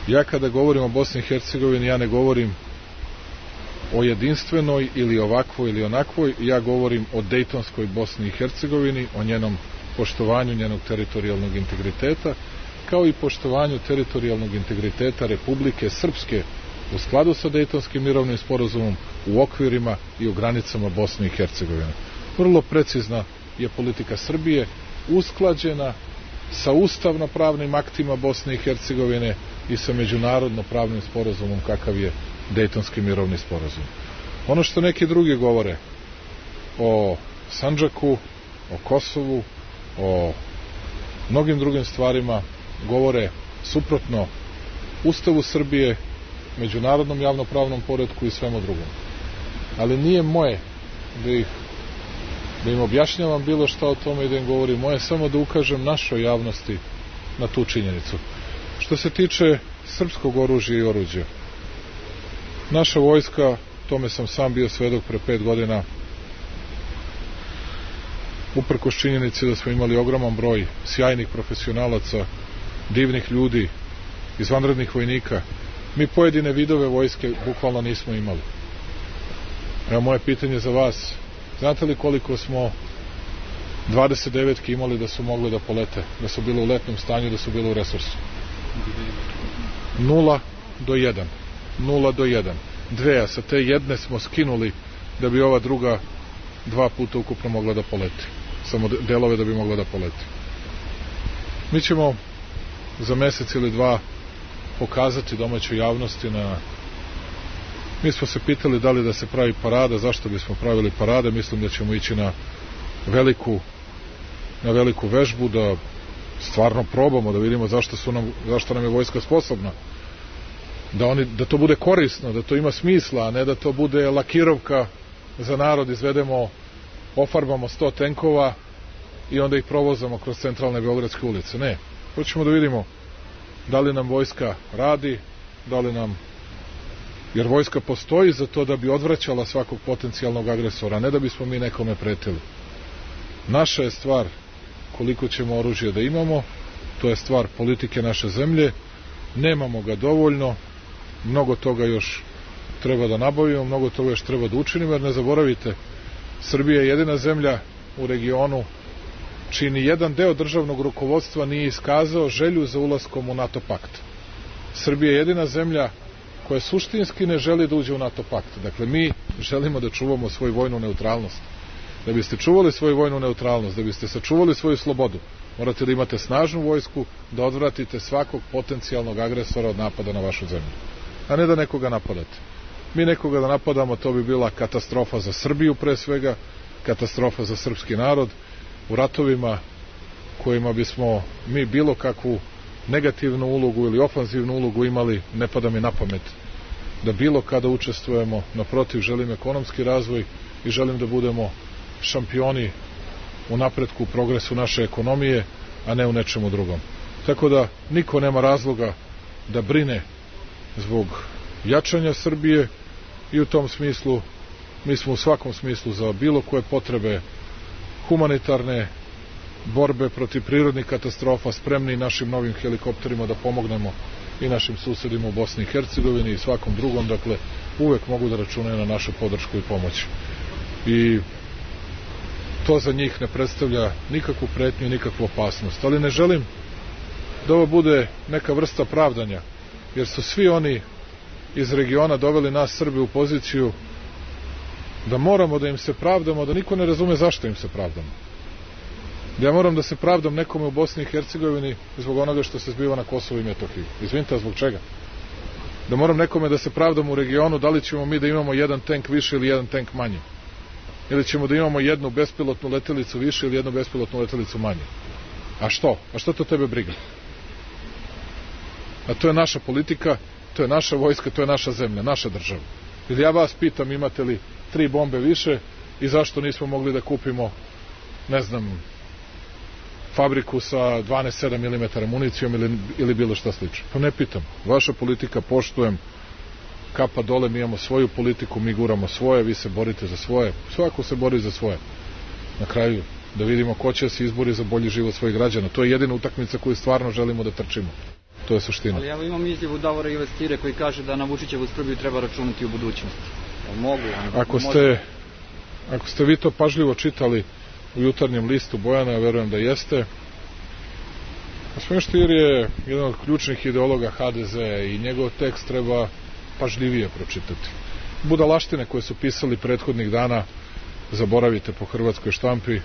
Ja kada govorim o Bosni i Hercegovini, ja ne govorim o jedinstvenoj ili ovakvoj ili onakvoj, ja govorim o Dejtonskoj Bosni i Hercegovini, o njenom poštovanju njenog teritorijalnog integriteta, kao i poštovanju teritorijalnog integriteta Republike Srpske u skladu sa Dejtonskim mirovnim sporazumom u okvirima i u granicama Bosne i Hercegovine. Vrlo precizna je politika Srbije, usklađena sa ustavno-pravnim aktima Bosne i Hercegovine i sa međunarodno-pravnim sporazumom kakav je Dejtonski mirovni sporazum. Ono što neki drugi govore o Sandžaku, o Kosovu, o mnogim drugim stvarima, govore suprotno Ustavu Srbije, međunarodnom javnopravnom poretku i svemu drugom. Ali nije moje da im objašnjavam bilo šta o tome i da im govorim. Moje samo da ukažem našoj javnosti na tu činjenicu. Što se tiče srpskog oružja i oruđa, naša vojska, tome sam sam bio svedok pre 5 godina, uprkos činjenici da smo imali ogroman broj sjajnih profesionalaca, divnih ljudi, izvanrednih vojnika, mi pojedine vidove vojske bukvalno nismo imali. Evo moje pitanje za vas, znate li koliko smo 29-ki imali da su mogli da polete, da su bile u letnom stanju, da su bile u resursu? 0 do 1. 0 do 1. Dve, a sa te jedne smo skinuli da bi ova druga 2 puta ukupno mogla da poleti. Samo delove da bi mogla da poleti. Mi ćemo za mesec ili 2 pokazati domaćoj javnosti Mi smo se pitali da li da se pravi parada, zašto bismo pravili parade, mislim da ćemo ići na veliku vežbu, da stvarno probamo, da vidimo zašto nam je vojska sposobna. Da to bude korisno, da to ima smisla, a ne da to bude lakirovka za narod, izvedemo, ofarbamo 100 tenkova i onda ih provozamo kroz centralne beogradske ulice. Ne, hoćemo da vidimo da li nam vojska radi, jer vojska postoji za to da bi odvraćala svakog potencijalnog agresora, ne da bismo mi nekome pretili. Naša je stvar koliko ćemo oružja da imamo, to je stvar politike naše zemlje, nemamo ga dovoljno, mnogo toga još treba da nabavimo, mnogo toga još treba da učinimo, jer ne zaboravite, Srbija je jedina zemlja u regionu čiji ni jedan deo državnog rukovodstva nije iskazao želju za ulaskom u NATO pakt. Srbija je jedina zemlja koja suštinski ne želi da uđe u NATO pakt. Dakle, mi želimo da čuvamo svoju vojnu neutralnost. Da biste čuvali svoju vojnu neutralnost, da biste sačuvali svoju slobodu, morate da imate snažnu vojsku, da odvratite svakog potencijalnog agresora od napada na vašu zemlju. A ne da nekoga napadate. Mi nekoga da napadamo, to bi bila katastrofa za Srbiju pre svega, katastrofa za srpski narod, u ratovima kojima bismo mi bilo kakvu negativnu ulogu ili ofanzivnu ulogu imali, ne pada mi na pamet da bilo kada učestvujemo. Naprotiv, želim ekonomski razvoj i želim da budemo šampioni u napretku, u progresu naše ekonomije, a ne u nečemu drugom. Tako da niko nema razloga da brine zbog jačanja Srbije i u tom smislu mi smo u svakom smislu za bilo koje potrebe humanitarne borbe protiv prirodnih katastrofa spremni našim novim helikopterima da pomognemo i našim susedima u Bosni i Hercegovini i svakom drugom, dakle uvek mogu da računaju na našu podršku i pomoć. I to za njih ne predstavlja nikakvu pretnju i nikakvu opasnost. Ali ne želim da ovo bude neka vrsta pravdanja, jer su svi oni iz regiona doveli nas Srbe u poziciju da moramo da im se pravdamo, da niko ne razume zašto im se pravdamo. Ja moram da se pravdam nekome u Bosni i Hercegovini zbog onoga što se zbiva na Kosovu i Metohiji. Izvinite, zbog čega? Da moram nekome da se pravdam u regionu, da li ćemo mi da imamo jedan tank više ili jedan tank manje? Ili ćemo da imamo jednu bespilotnu letelicu više ili jednu bespilotnu letelicu manje? A što? A što to tebe briga? A to je naša politika, to je naša vojska, to je naša zemlja, naša država. Ili ja vas pitam, imate li 3 bombe više i zašto nismo mogli da kupimo, ne znam, fabriku sa 12,7 mm municijom ili bilo šta slično? Pa ne pitam. Vaša politika, poštujem, kapa dole, mi imamo svoju politiku, mi guramo svoje, vi se borite za svoje. Svako se bori za svoje. Na kraju, da vidimo ko će se izbori za bolji život svojih građana. To je jedina utakmica koju stvarno želimo da trčimo. To je suština. Ali ja imam izjavu Davora Ilestire koji kaže da na Vučićevu Srbiju treba računati u budućnosti. Mogu? Ako ste vi to pažljivo čitali u jutarnjem listu Bojana, ja verujem da jeste. Gospodin Stier je jedan od ključnih ideologa HDZ i njegov tekst treba pažljivije pročitati. Budalaštine koje su pisali prethodnih dana zaboravite po hrvatskoj štampi,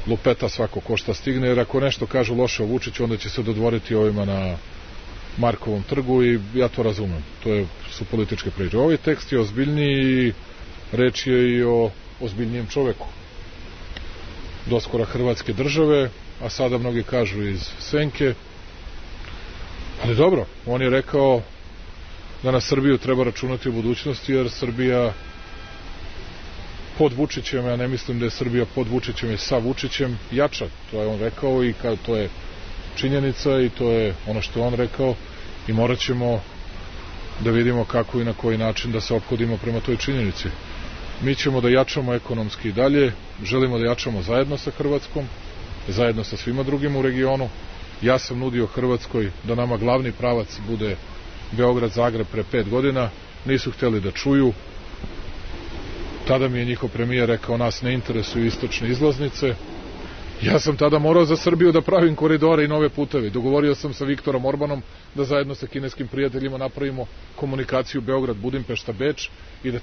lupeta svako ko šta stigne, jer ako nešto kažu loše o Vučiću, onda će se dodvoriti ovima na Markovom trgu i ja to razumem. To su političke priče. Ovaj tekst je ozbiljniji i reč je i o ozbiljnijem čoveku. Doskora Hrvatske države, a sada mnogi kažu iz senke. Ali dobro, on je rekao da na Srbiju treba računati u budućnosti, jer Srbija pod Vučićem, ja ne mislim da je Srbija pod Vučićem i sa Vučićem jača. To je on rekao i to je činjenica i to je ono što je on rekao i morat ćemo da vidimo kako i na koji način da se ophodimo prema toj činjenici. Mi ćemo da jačamo ekonomski i dalje, želimo da jačamo zajedno sa Hrvatskom, zajedno sa svima drugim u regionu. Ja sam nudio Hrvatskoj da nama glavni pravac bude Beograd-Zagreb pre 5 godina, nisu hteli da čuju. Tada mi je njihov premijer rekao, nas ne interesuju istočne izlaznice. Ja sam tada morao za Srbiju da pravim koridore i nove puteve. Dogovorio sam sa Viktorom Orbanom da zajedno sa kineskim prijateljima napravimo komunikaciju Beograd-Budimpešta-Beč i da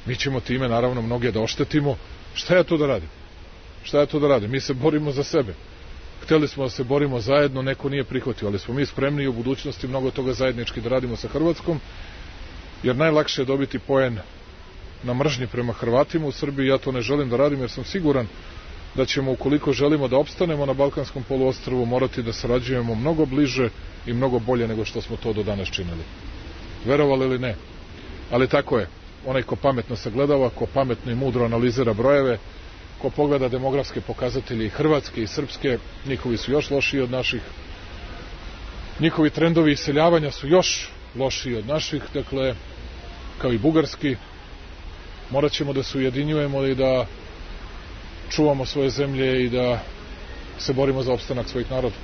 mi ćemo time naravno mnoge da oštetimo. Šta ja to da radim? Šta ja to da radim? Mi se borimo za sebe. Hteli smo da se borimo zajedno, neko nije prihvatio, ali smo mi spremni i u budućnosti mnogo toga zajednički da radimo sa Hrvatskom, jer najlakše je dobiti poen na mržnji prema Hrvatima u Srbiji. Ja to ne želim da radim, jer sam siguran da ćemo, ukoliko želimo da opstanemo na Balkanskom poluostrvu, morati da sarađujemo mnogo bliže i mnogo bolje nego što smo to do danas činili. Verovali ili ne? Ali tako je. Onaj ko pametno sagledava, ko pametno i mudro analizira brojeve, ko pogleda demografske pokazatelje i hrvatske i srpske, njihovi su još lošiji od naših. Njihovi trendovi iseljavanja su još lošiji od naših, dakle, kao i bugarski. Morat ćemo da se ujedinjujemo i da čuvamo svoje zemlje i da se borimo za opstanak svojih naroda.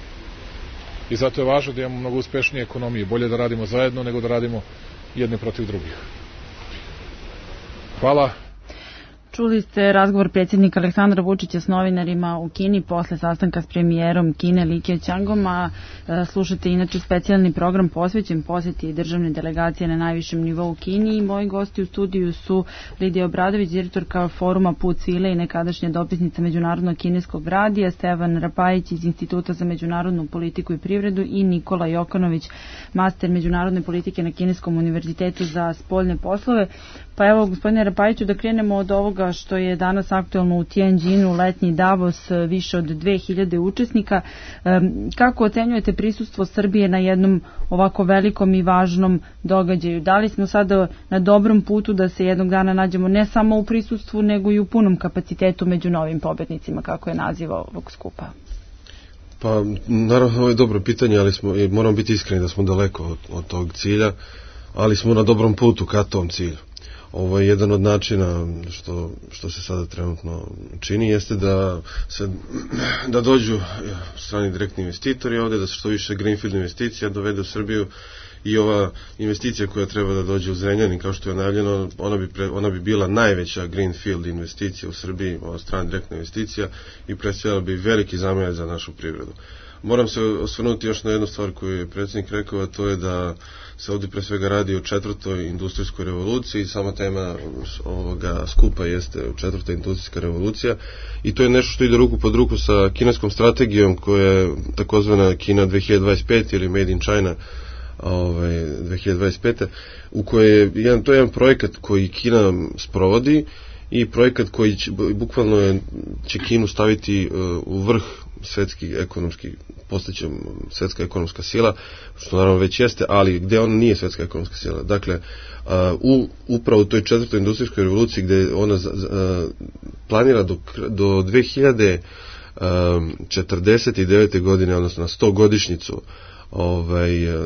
I zato je važno da imamo mnogo uspešnije ekonomije. Bolje da radimo zajedno nego da radimo jedni protiv drugih. Hvala. Čuli ste razgovor predsjednika Aleksandra Vučića s novinarima u Kini posle sastanka s premijerom Kine Li Keqiangom, a slušate inače specijalni program posvećen posjeti državne delegacije na najvišem nivou u Kini i moji gosti u studiju su Lidija Obradović, direktorka foruma Put svile i nekadašnja dopisnica Međunarodnog kineskog radija, Stevan Rapajić iz Instituta za međunarodnu politiku i privredu i Nikola Jokanović, master međunarodne politike na Kineskom univerzitetu za spoljne poslove. Pa evo, gospodine Rapajiću, da krenemo od ovoga što je danas aktuelno u Tianjinu, letnji Davos, više od 2000 učesnika. Kako ocenjujete prisustvo Srbije na jednom ovako velikom i važnom događaju? Da li smo sada na dobrom putu da se jednog dana nađemo ne samo u prisustvu, nego i u punom kapacitetu među novim pobednicima, kako je naziv ovog skupa? Pa, naravno, ovo je dobro pitanje, ali moramo biti iskreni da smo daleko od tog cilja, ali smo na dobrom putu ka tom cilju. Ovo je jedan od načina što se sada trenutno čini, jeste da dođu strani direktni investitori ovdje, da se što više greenfield investicija dovede u Srbiju i ova investicija koja treba da dođe u Zrenjanin, kao što je najavljeno, ona bi bila najveća greenfield investicija u Srbiji, ova strana direktna investicija i predstavljala bi veliki zamah za našu privredu. Moram se osvrnuti još na jednu stvar koju je predsjednik rekao, a to je da se ovdje pre svega radi o 4. industrijskoj revoluciji. Sama tema ovoga skupa jeste 4. industrijska revolucija i to je nešto što ide ruku pod ruku sa kineskom strategijom koja je takozvana Kina 2025 ili Made in China 2025. u kojoj je to jedan projekat koji Kina sprovodi i projekat koji bukvalno će Kinu staviti u vrh svetski ekonomski, postaće svetska ekonomska sila, što naravno već jeste, ali gdje ona nije svetska ekonomska sila. Dakle, upravo u toj 4. industrijskoj revoluciji gdje ona planira do 2049. godine, odnosno na 100-godišnjicu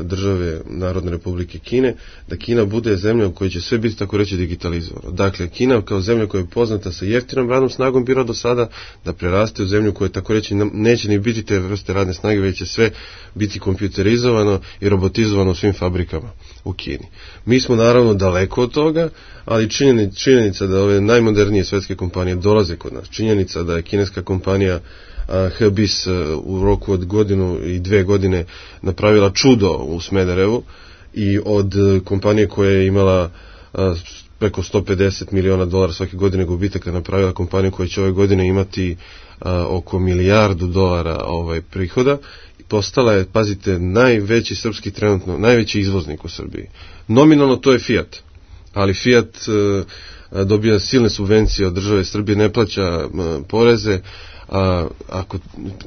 države Narodne Republike Kine, da Kina bude zemlja u kojoj će sve biti tako reći digitalizovano. Dakle, Kina kao zemlja koja je poznata sa jeftinom radnom snagom bila do sada, da preraste u zemlju koja tako reći neće ni biti te vrste radne snage, već će sve biti kompjuterizovano i robotizovano u svim fabrikama u Kini. Mi smo naravno daleko od toga, ali činjenica da ove najmodernije svetske kompanije dolaze kod nas, činjenica da je kineska kompanija Hebis u roku od 1 i 2 godine napravila čudo u Smederevu i od kompanije koja je imala preko $150 miliona svake godine gubitaka napravila kompaniju koja će ove godine imati oko $1 milijardu prihoda. Postala je, pazite, najveći srpski trenutno, najveći izvoznik u Srbiji. Nominalno to je Fiat, ali Fiat dobija silne subvencije od države Srbije, ne plaća poreze. Ako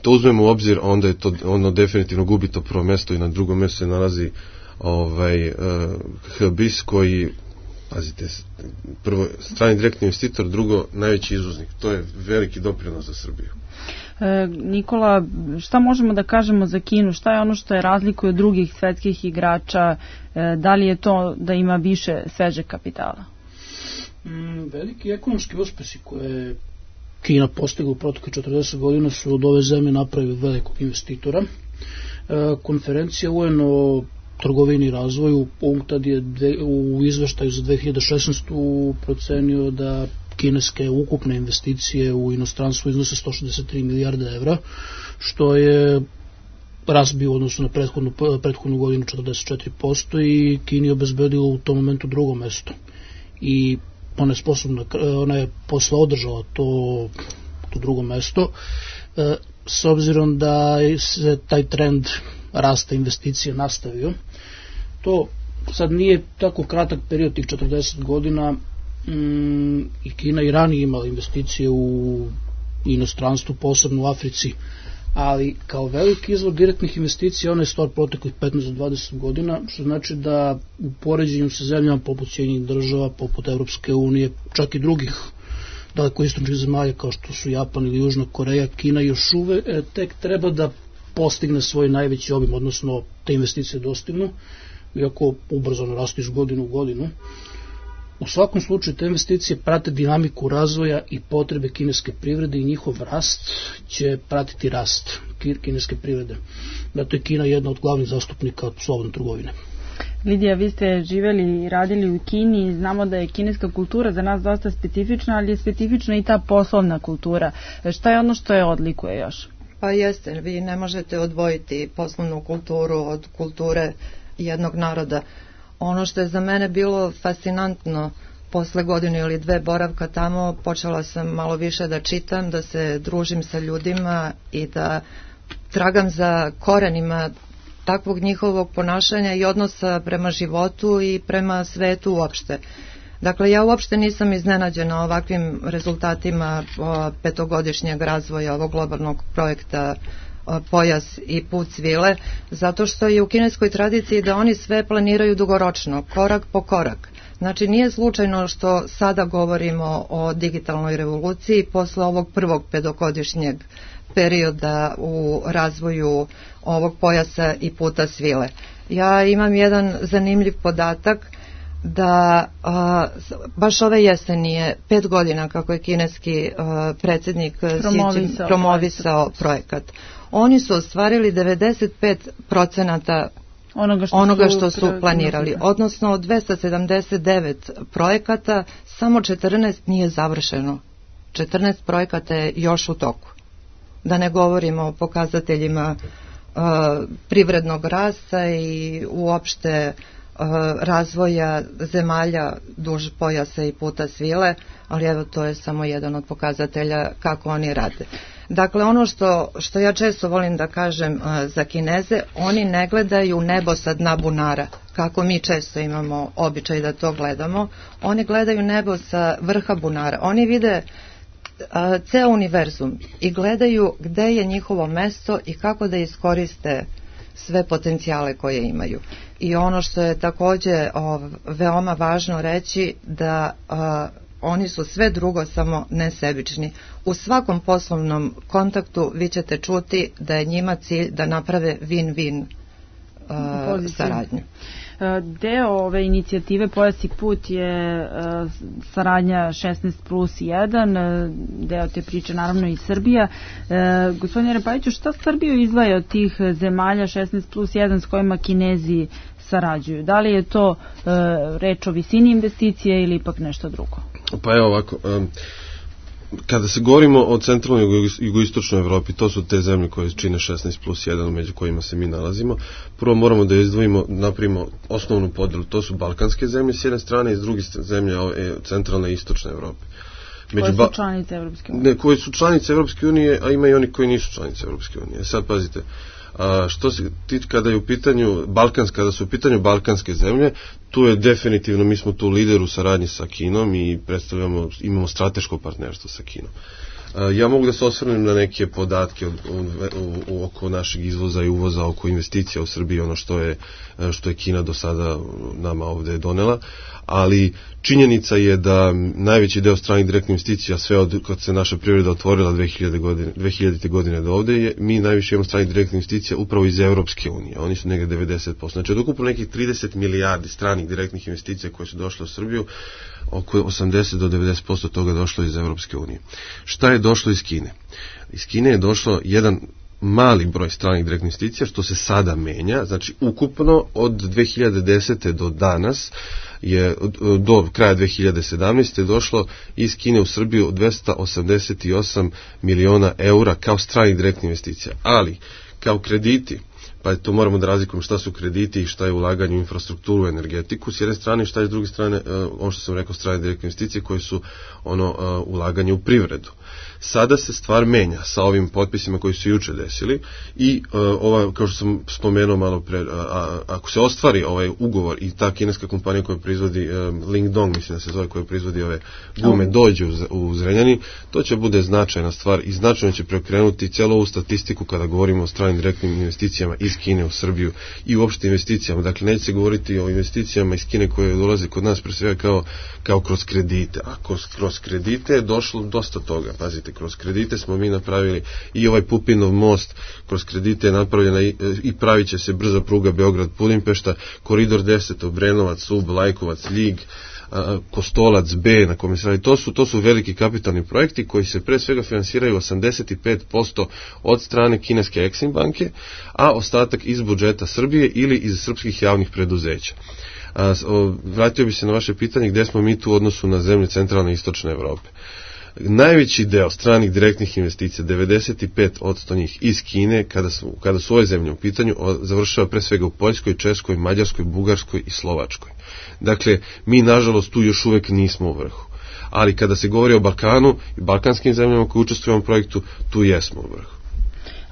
to uzmemo u obzir, onda je to, ono definitivno gubi to prvo mjesto i na drugom mjestu se nalazi Hebis koji, pazite, prvo strani direktni investitor, drugo najveći izvoznik. To je veliki doprinos za Srbiju. Nikola, šta možemo da kažemo za Kinu? Šta je ono što je razlikuje od drugih svetskih igrača? Da li je to da ima više svežeg kapitala? Veliki ekonomski uspesi koje Kina postigla u proteklih 40 godina su od ove zemlje napravili velikog investitora. Konferencija UN o trgovini i razvoju UNCTAD je u izveštaju za 2016. procenio da kineske ukupne investicije u inostranstvu iznose 163 milijarde evra, što je rast bio u odnosu na prethodnu godinu 44% i Kini je obezbedilo u tom momentu drugo mesto. I ona je posle održala to drugo mesto, s obzirom da se taj trend rasta investicija nastavio. To sad nije tako kratak period, tih 40 godina, i Kina i ranije imala investicije u inostranstvu, posebno u Africi, ali kao veliki izvor direktnih investicija ona je stvar proteklih 15 do 20 godina, što znači da u poređenju sa zemljama poput Sjedinjenih država, poput Evropske unije, čak i drugih dalekoistočnih zemalja kao što su Japan ili Južna Koreja, Kina još uvek tek treba da postigne svoj najveći obim, odnosno te investicije dostignu, iako ubrzano rastu iz godinu u godinu. U svakom slučaju te investicije prate dinamiku razvoja i potrebe kineske privrede i njihov rast će pratiti rast kineske privrede. Zato je Kina jedna od glavnih zastupnika slobodne trgovine. Lidija, vi ste živjeli i radili u Kini i znamo da je kineska kultura za nas dosta specifična, ali je specifična i ta poslovna kultura. Šta je ono što je odlikuje još? Pa jeste, vi ne možete odvojiti poslovnu kulturu od kulture jednog naroda. Ono što je za mene bilo fascinantno posle godinu ili dve boravka tamo, počela sam malo više da čitam, da se družim sa ljudima i da tragam za korenima takvog njihovog ponašanja i odnosa prema životu i prema svetu uopšte. Dakle, ja uopšte nisam iznenađena ovakvim rezultatima petogodišnjeg razvoja ovog globalnog projekta Pojas i put svile, zato što je u kineskoj tradiciji da oni sve planiraju dugoročno, korak po korak. Znači, nije slučajno što sada govorimo o digitalnoj revoluciji posle ovog prvog petogodišnjeg perioda u razvoju ovog pojasa i puta svile. Ja imam jedan zanimljiv podatak da baš ove jeseni je 5 godina kako je kineski predsjednik promovisao projekat. Oni su ostvarili 95% onoga što su planirali, odnosno od 279 projekata samo 14 nije završeno. 14 projekata je još u toku. Da ne govorimo o pokazateljima privrednog rasta i uopšte razvoja zemalja duž pojasa i puta svile, ali evo to je samo jedan od pokazatelja kako oni rade. Dakle, ono što ja često volim da kažem za Kineze, oni ne gledaju nebo sa dna bunara, kako mi često imamo običaj da to gledamo, oni gledaju nebo sa vrha bunara, oni vide ceo univerzum i gledaju gde je njihovo mesto i kako da iskoriste sve potencijale koje imaju. I ono što je takođe veoma važno reći da oni su sve drugo samo nesebični. U svakom poslovnom kontaktu vi ćete čuti da je njima cilj da naprave win-win saradnju. Deo ove inicijative Pojas i put je saradnja 16+1, deo te priče naravno i Srbija. Gospodine Repajiću, šta Srbiju izdvaja od tih zemalja 16+1 s kojima Kinezi sarađuju? Da li je to reč o visini investicije ili ipak nešto drugo? Pa evo ovako, kada se govorimo o centralnoj i jugoistočnoj Evropi, to su te zemlje koje čine 16+1 među kojima se mi nalazimo. Prvo moramo da izdvojimo, napravimo osnovnu podelu, to su balkanske zemlje s jedne strane i s druge zemlje centralne i istočne Evrope. Koje su članice Evropske unije? Ne, koje su članice Evropske unije, a ima i oni koji nisu članice Evropske unije. Sad pazite, što se tiče kada su u pitanju balkanske zemlje, tu je definitivno, mi smo tu lider u saradnji sa Kinom i imamo strateško partnerstvo sa Kinom. Ja mogu da se osvrnem na neke podatke oko našeg izvoza i uvoza, oko investicija u Srbiji, ono što je Kina do sada nama ovde donela, ali činjenica je da najveći deo stranih direktnih investicija, sve od kad se naša privreda otvorila 2000. godine do ovde, mi najviše imamo stranih direktnih investicija upravo iz Evropske unije, oni su negde 90%. Znači od ukupno nekih 30 milijardi stranih direktnih investicija koje su došle u Srbiju, oko 80 do 90% toga došlo iz Evropske unije. Šta je došlo iz Kine? Iz Kine je došlo jedan mali broj stranih direktnih investicija, što se sada menja, znači ukupno od 2010. do danas je do kraja 2017. došlo iz Kine u Srbiju 288 miliona eura kao stranih direktnih investicija, ali kao krediti, pa to moramo da razlikujemo šta su krediti i šta je ulaganje u infrastrukturu, energetiku, s jedne strane, šta je s druge strane, ono što sam rekao, strane direktne investicije koje su ulaganje u privredu. Sada se stvar menja sa ovim potpisima koji su juče desili i kao što sam spomenuo malo pre, ako se ostvari ovaj ugovor i ta kineska kompanija koja proizvodi Lingdong, mislim da se zove, koja proizvodi ove gume, dođe u Zrenjanin, to će bude značajna stvar i značajno će preokrenuti cijelu ovu statistiku kada govorimo o stranim direktnim investicijama iz Kine u Srbiju i uopšte investicijama. Dakle, neće se govoriti o investicijama iz Kine koje dolaze kod nas pre svega kao kroz kredite. A kroz kredite je došlo dosta toga. Pazite, kroz kredite smo mi napravili i ovaj Pupinov most, kroz kredite je napravljena i pravit će se brza pruga Beograd-Budimpešta, koridor 10, Obrenovac, Ub, Lajkovac, Ljig, Kostolac B na kome se radi, to su veliki kapitalni projekti koji se pre svega finansiraju 85% od strane kineske Exim banke, a ostatak iz budžeta Srbije ili iz srpskih javnih preduzeća. Vratio bi se na vaše pitanje gde smo mi tu u odnosu na zemlje centralne i istočne Evrope. Najveći deo stranih direktnih investicija, 95% njih iz Kine, kada su ove zemlje u pitanju, završava pre svega u Poljskoj, Češkoj, Mađarskoj, Bugarskoj i Slovačkoj. Dakle, mi nažalost tu još uvek nismo u vrhu. Ali kada se govori o Balkanu i balkanskim zemljama koji učestvuju u ovom projektu, tu jesmo u vrhu.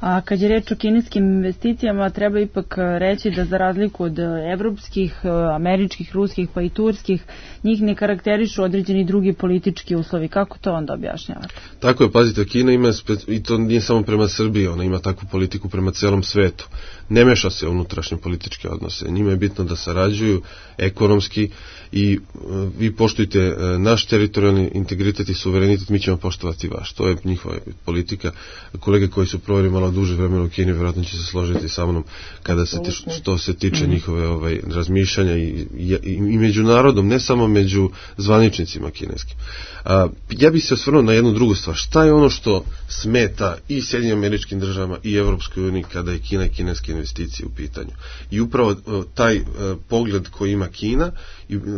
A kad je reč o kineskim investicijama, treba ipak reći da za razliku od evropskih, američkih, ruskih pa i turskih, njih ne karakterišu određeni drugi politički uslovi. Kako to onda objašnjavate? Tako je, pazite, Kina ima, i to nije samo prema Srbiji, ona ima takvu politiku prema celom svetu. Ne meša se u unutrašnje političke odnose. Njima je bitno da sarađuju ekonomski i vi poštujte naš teritorijalni integritet i suverenitet, mi ćemo poštovati vaš. To je njihova politika. Kolege koji su proveli malo duže vremena u Kini vjerojatno će se složiti sa mnom kada se što se tiče njihove razmišljanja i među narodom, ne samo među zvaničnicima kineskim. Ja bih se osvrnuo na jednu drugu stvar. Šta je ono što smeta i Sjedinjenim Američkim Državama i Evropskoj uniji kada je Kina i kineske investicije u pitanju? I upravo taj pogled koji ima Kina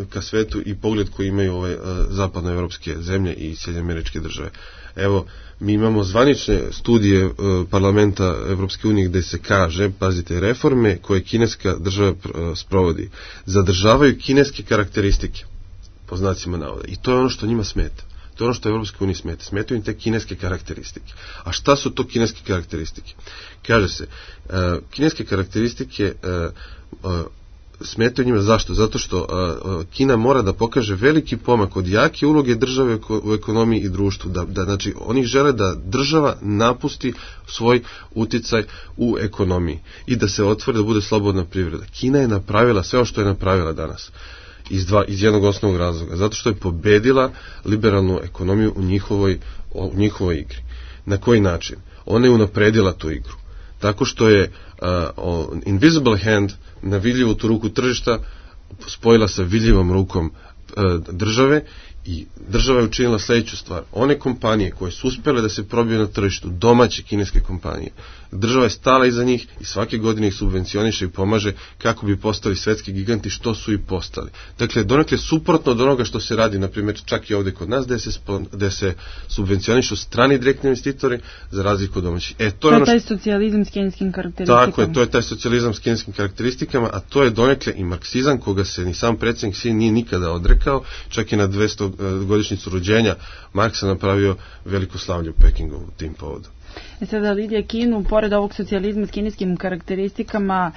ka svetu i pogled koji imaju ove zapadnoevropske zemlje i Sjedinjene Američke Države. Evo, mi imamo zvanične studije parlamenta Evropske unije gde se kaže, pazite, reforme koje kineska država sprovodi zadržavaju kineske karakteristike, po znacima navoda. I to je ono što njima smeta. To je ono što Evropske unije smeta. Smetaju im te kineske karakteristike. A šta su to kineske karakteristike? Kaže se, kineske karakteristike smetaju njima. Zašto? Zato što Kina mora da pokaže veliki pomak od jake uloge države u ekonomiji i društvu. Znači, oni žele da država napusti svoj uticaj u ekonomiji i da se otvori, da bude slobodna privreda. Kina je napravila sve što je napravila danas. Iz jednog osnovnog razloga. Zato što je pobedila liberalnu ekonomiju u njihovoj igri. Na koji način? Ona je unapredila tu igru. Tako što je invisible hand na vidljivu tu ruku tržišta spojila sa vidljivom rukom države i država je učinila sledeću stvar. One kompanije koje su uspjele da se probiju na tržištu, domaće kineske kompanije, država je stala iza njih i svake godine ih subvencioniše i pomaže kako bi postali svetski giganti, što su i postali. Dakle, donekle suprotno od onoga što se radi, na primjer, čak i ovde kod nas, gde se subvencionišu strani direktni investitori za razliku od domaćih. To je taj socijalizam s kineskim karakteristikama. Tako je, to je taj socijalizam s kineskim karakteristikama, a to je donekle i marksizam koga se ni sam predsjednik Xi nije nikada odrekao, čak i na 200 godišnjicu rođenja Marksa napravio veliko slavlje u Pekingu u tim povodom. Sada Lidija, Kinu, pored ovog socijalizma s kineskim karakteristikama,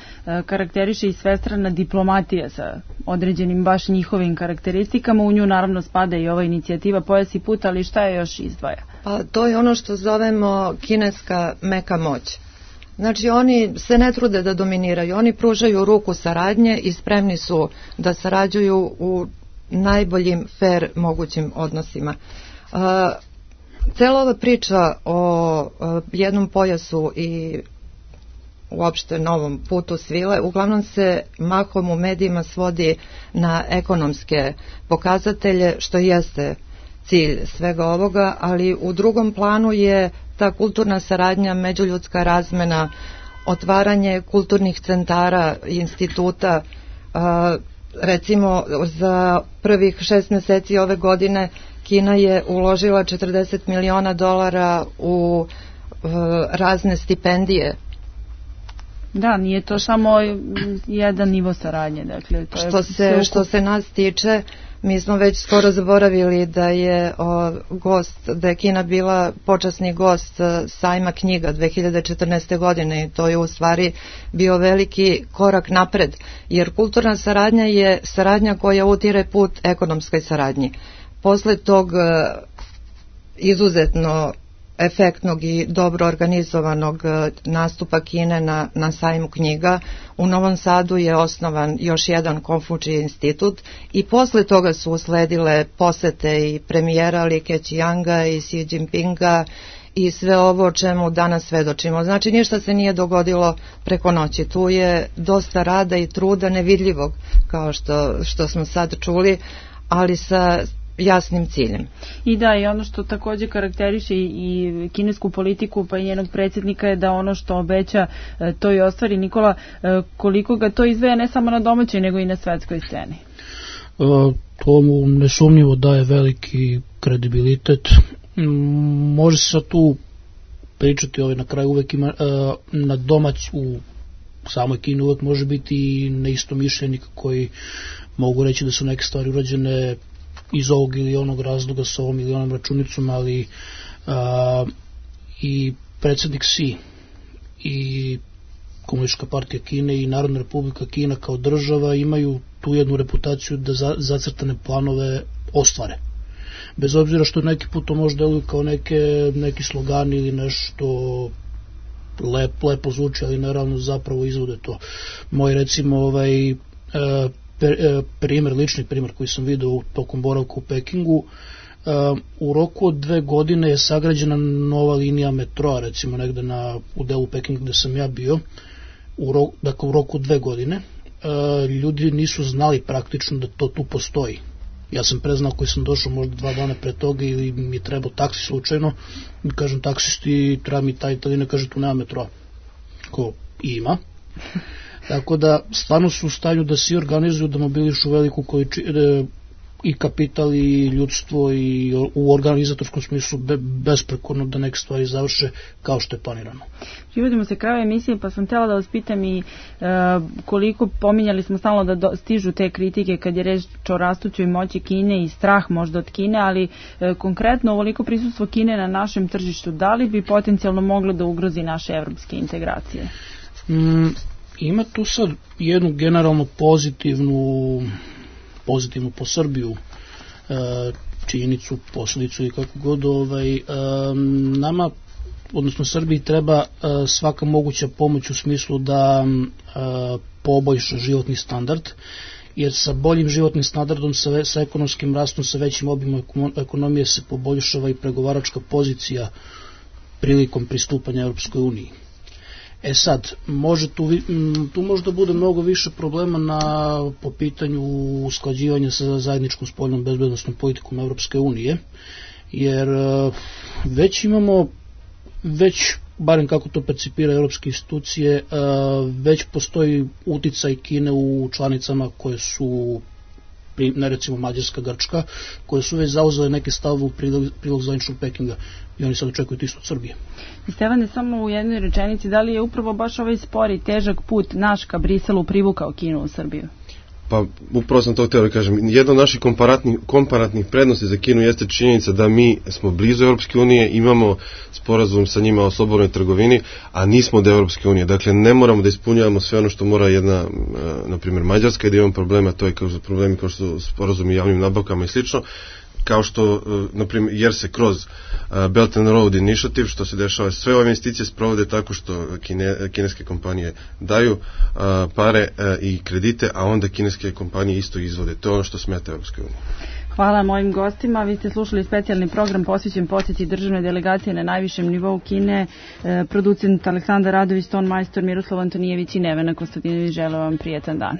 karakteriše i svestrana diplomatija sa određenim baš njihovim karakteristikama. U nju naravno spada i ova inicijativa Pojas i put, ali šta je još izdvaja? Pa to je ono što zovemo kineska meka moć. Znači, oni se ne trude da dominiraju, oni pružaju ruku saradnje i spremni su da sarađuju u najboljim fair mogućim odnosima. Cela ova priča o jednom pojasu i uopšte novom putu svile uglavnom se mahom u medijima svodi na ekonomske pokazatelje, što jeste cilj svega ovoga, ali u drugom planu je ta kulturna saradnja, međuljudska razmena, otvaranje kulturnih centara i instituta. Recimo, za prvih 6 meseci ove godine Kina je uložila $40 miliona u razne stipendije. Da, nije to samo jedan nivo saradnje. Dakle, to što se nas tiče, mi smo već skoro zaboravili da je Kina bila počasni gost sajma knjiga 2014. godine i to je u stvari bio veliki korak napred, jer kulturna saradnja je saradnja koja utire put ekonomskoj saradnji. Posle tog izuzetno efektnog i dobro organizovanog nastupa Kine na sajmu knjiga, u Novom Sadu je osnovan još jedan Konfučiji institut i posle toga su usledile posete i premijera Li Keqianga i Xi Jinpinga i sve ovo o čemu danas svedočimo. Znači, ništa se nije dogodilo preko noći. Tu je dosta rada i truda nevidljivog, kao što smo sad čuli, ali sa jasnim ciljem. I da, i ono što takođe karakteriše i kinesku politiku pa i njenog predsjednika je da ono što obeća to i ostvari. Nikola, koliko ga to izveja ne samo na domaćoj nego i na svetskoj sceni? To mu nesumnjivo daje veliki kredibilitet. Može se sad tu pričati, na kraju uvek ima na u samoj Kini uvek može biti neistomišljenika koji mogu reći da su neke stvari urađene iz ovog ili onog razloga sa ovom ili onom računicom, ali i predsjednik Xi i Komunistička partija Kine i Narodna republika Kina kao država imaju tu jednu reputaciju da zacrtane planove ostvare. Bez obzira što neki put to možda deluju kao neki slogani ili nešto lepo zvuči, ali naravno zapravo izvode to. Moj recimo lični primjer koji sam vidio tokom boravka u Pekingu, u roku od 2 godine je sagrađena nova linija metroa, recimo negde u delu Pekinga gde sam ja bio, dakle u roku od 2 godine. Ljudi nisu znali praktično da to tu postoji. Ja sam preznao koji sam došao možda 2 dana pre toga ili mi je trebao taksi slučajno i kažem taksisti treba mi ta linija, kaže tu nema metroa. Ko ima. Tako da stvarno su u stanju da se organizuju, da mobilišu veliku količinu i kapital i ljudstvo i u organizatorskom smislu besprekorno da neke stvari završe kao što je planirano. Privodimo se kraju emisije, pa sam htjela da vas pitam i koliko pominjali smo stalno da stižu te kritike kad je reč o rastućoj moći Kine i strah možda od Kine, ali konkretno ovoliko prisustvo Kine na našem tržištu, da li bi potencijalno moglo da ugrozi naše evropske integracije? Ima tu sad jednu generalno pozitivnu po Srbiju činjenicu, posledicu i kako god, nama, odnosno Srbiji treba svaka moguća pomoć u smislu da poboljša životni standard, jer sa boljim životnim standardom, sa ekonomskim rastom, sa većim obimom ekonomije se poboljšava i pregovaračka pozicija prilikom pristupanja Europskoj uniji. Sad, tu možda bude mnogo više problema po pitanju usklađivanja sa zajedničkom spoljnom bezbednosnom politikom Evropske unije, jer već barem kako to percipira evropske institucije, već postoji uticaj Kine u članicama koje su, ne recimo Mađarska, Grčka, koje su već zauzele neke stavove u prilog zvaničnog Pekinga i oni sad očekuju isto od Srbije. Stefane, samo u jednoj rečenici, da li je upravo baš ovaj spori, težak put naš ka Briselu privukao Kinu u Srbiju? Pa upravo sam to htio da kažem. Jedna od naših komparatnih prednosti za Kinu jeste činjenica da mi smo blizu Europske unije, imamo sporazum sa njima o slobodnoj trgovini, a nismo od Europske unije. Dakle, ne moramo da ispunjavamo sve ono što mora jedna, na primjer, Mađarska, i da imamo problema, to je problemi kao što su sporazumi javnim nabavkama i slično, kao što, na primjer, jer se kroz Belt and Road Initiative, što se dešava, sve ove investicije sprovode tako što kineske kompanije daju pare i kredite, a onda kineske kompanije isto izvode. To je ono što smeta Europskoj uniji. Hvala mojim gostima. Vi ste slušali specijalni program posvećen posjeti državne delegacije na najvišem nivou Kine. Producent Aleksandar Radović, ton majstor Miroslav Antonijević i Nevena Konstantinović. Želim vam prijetan dan.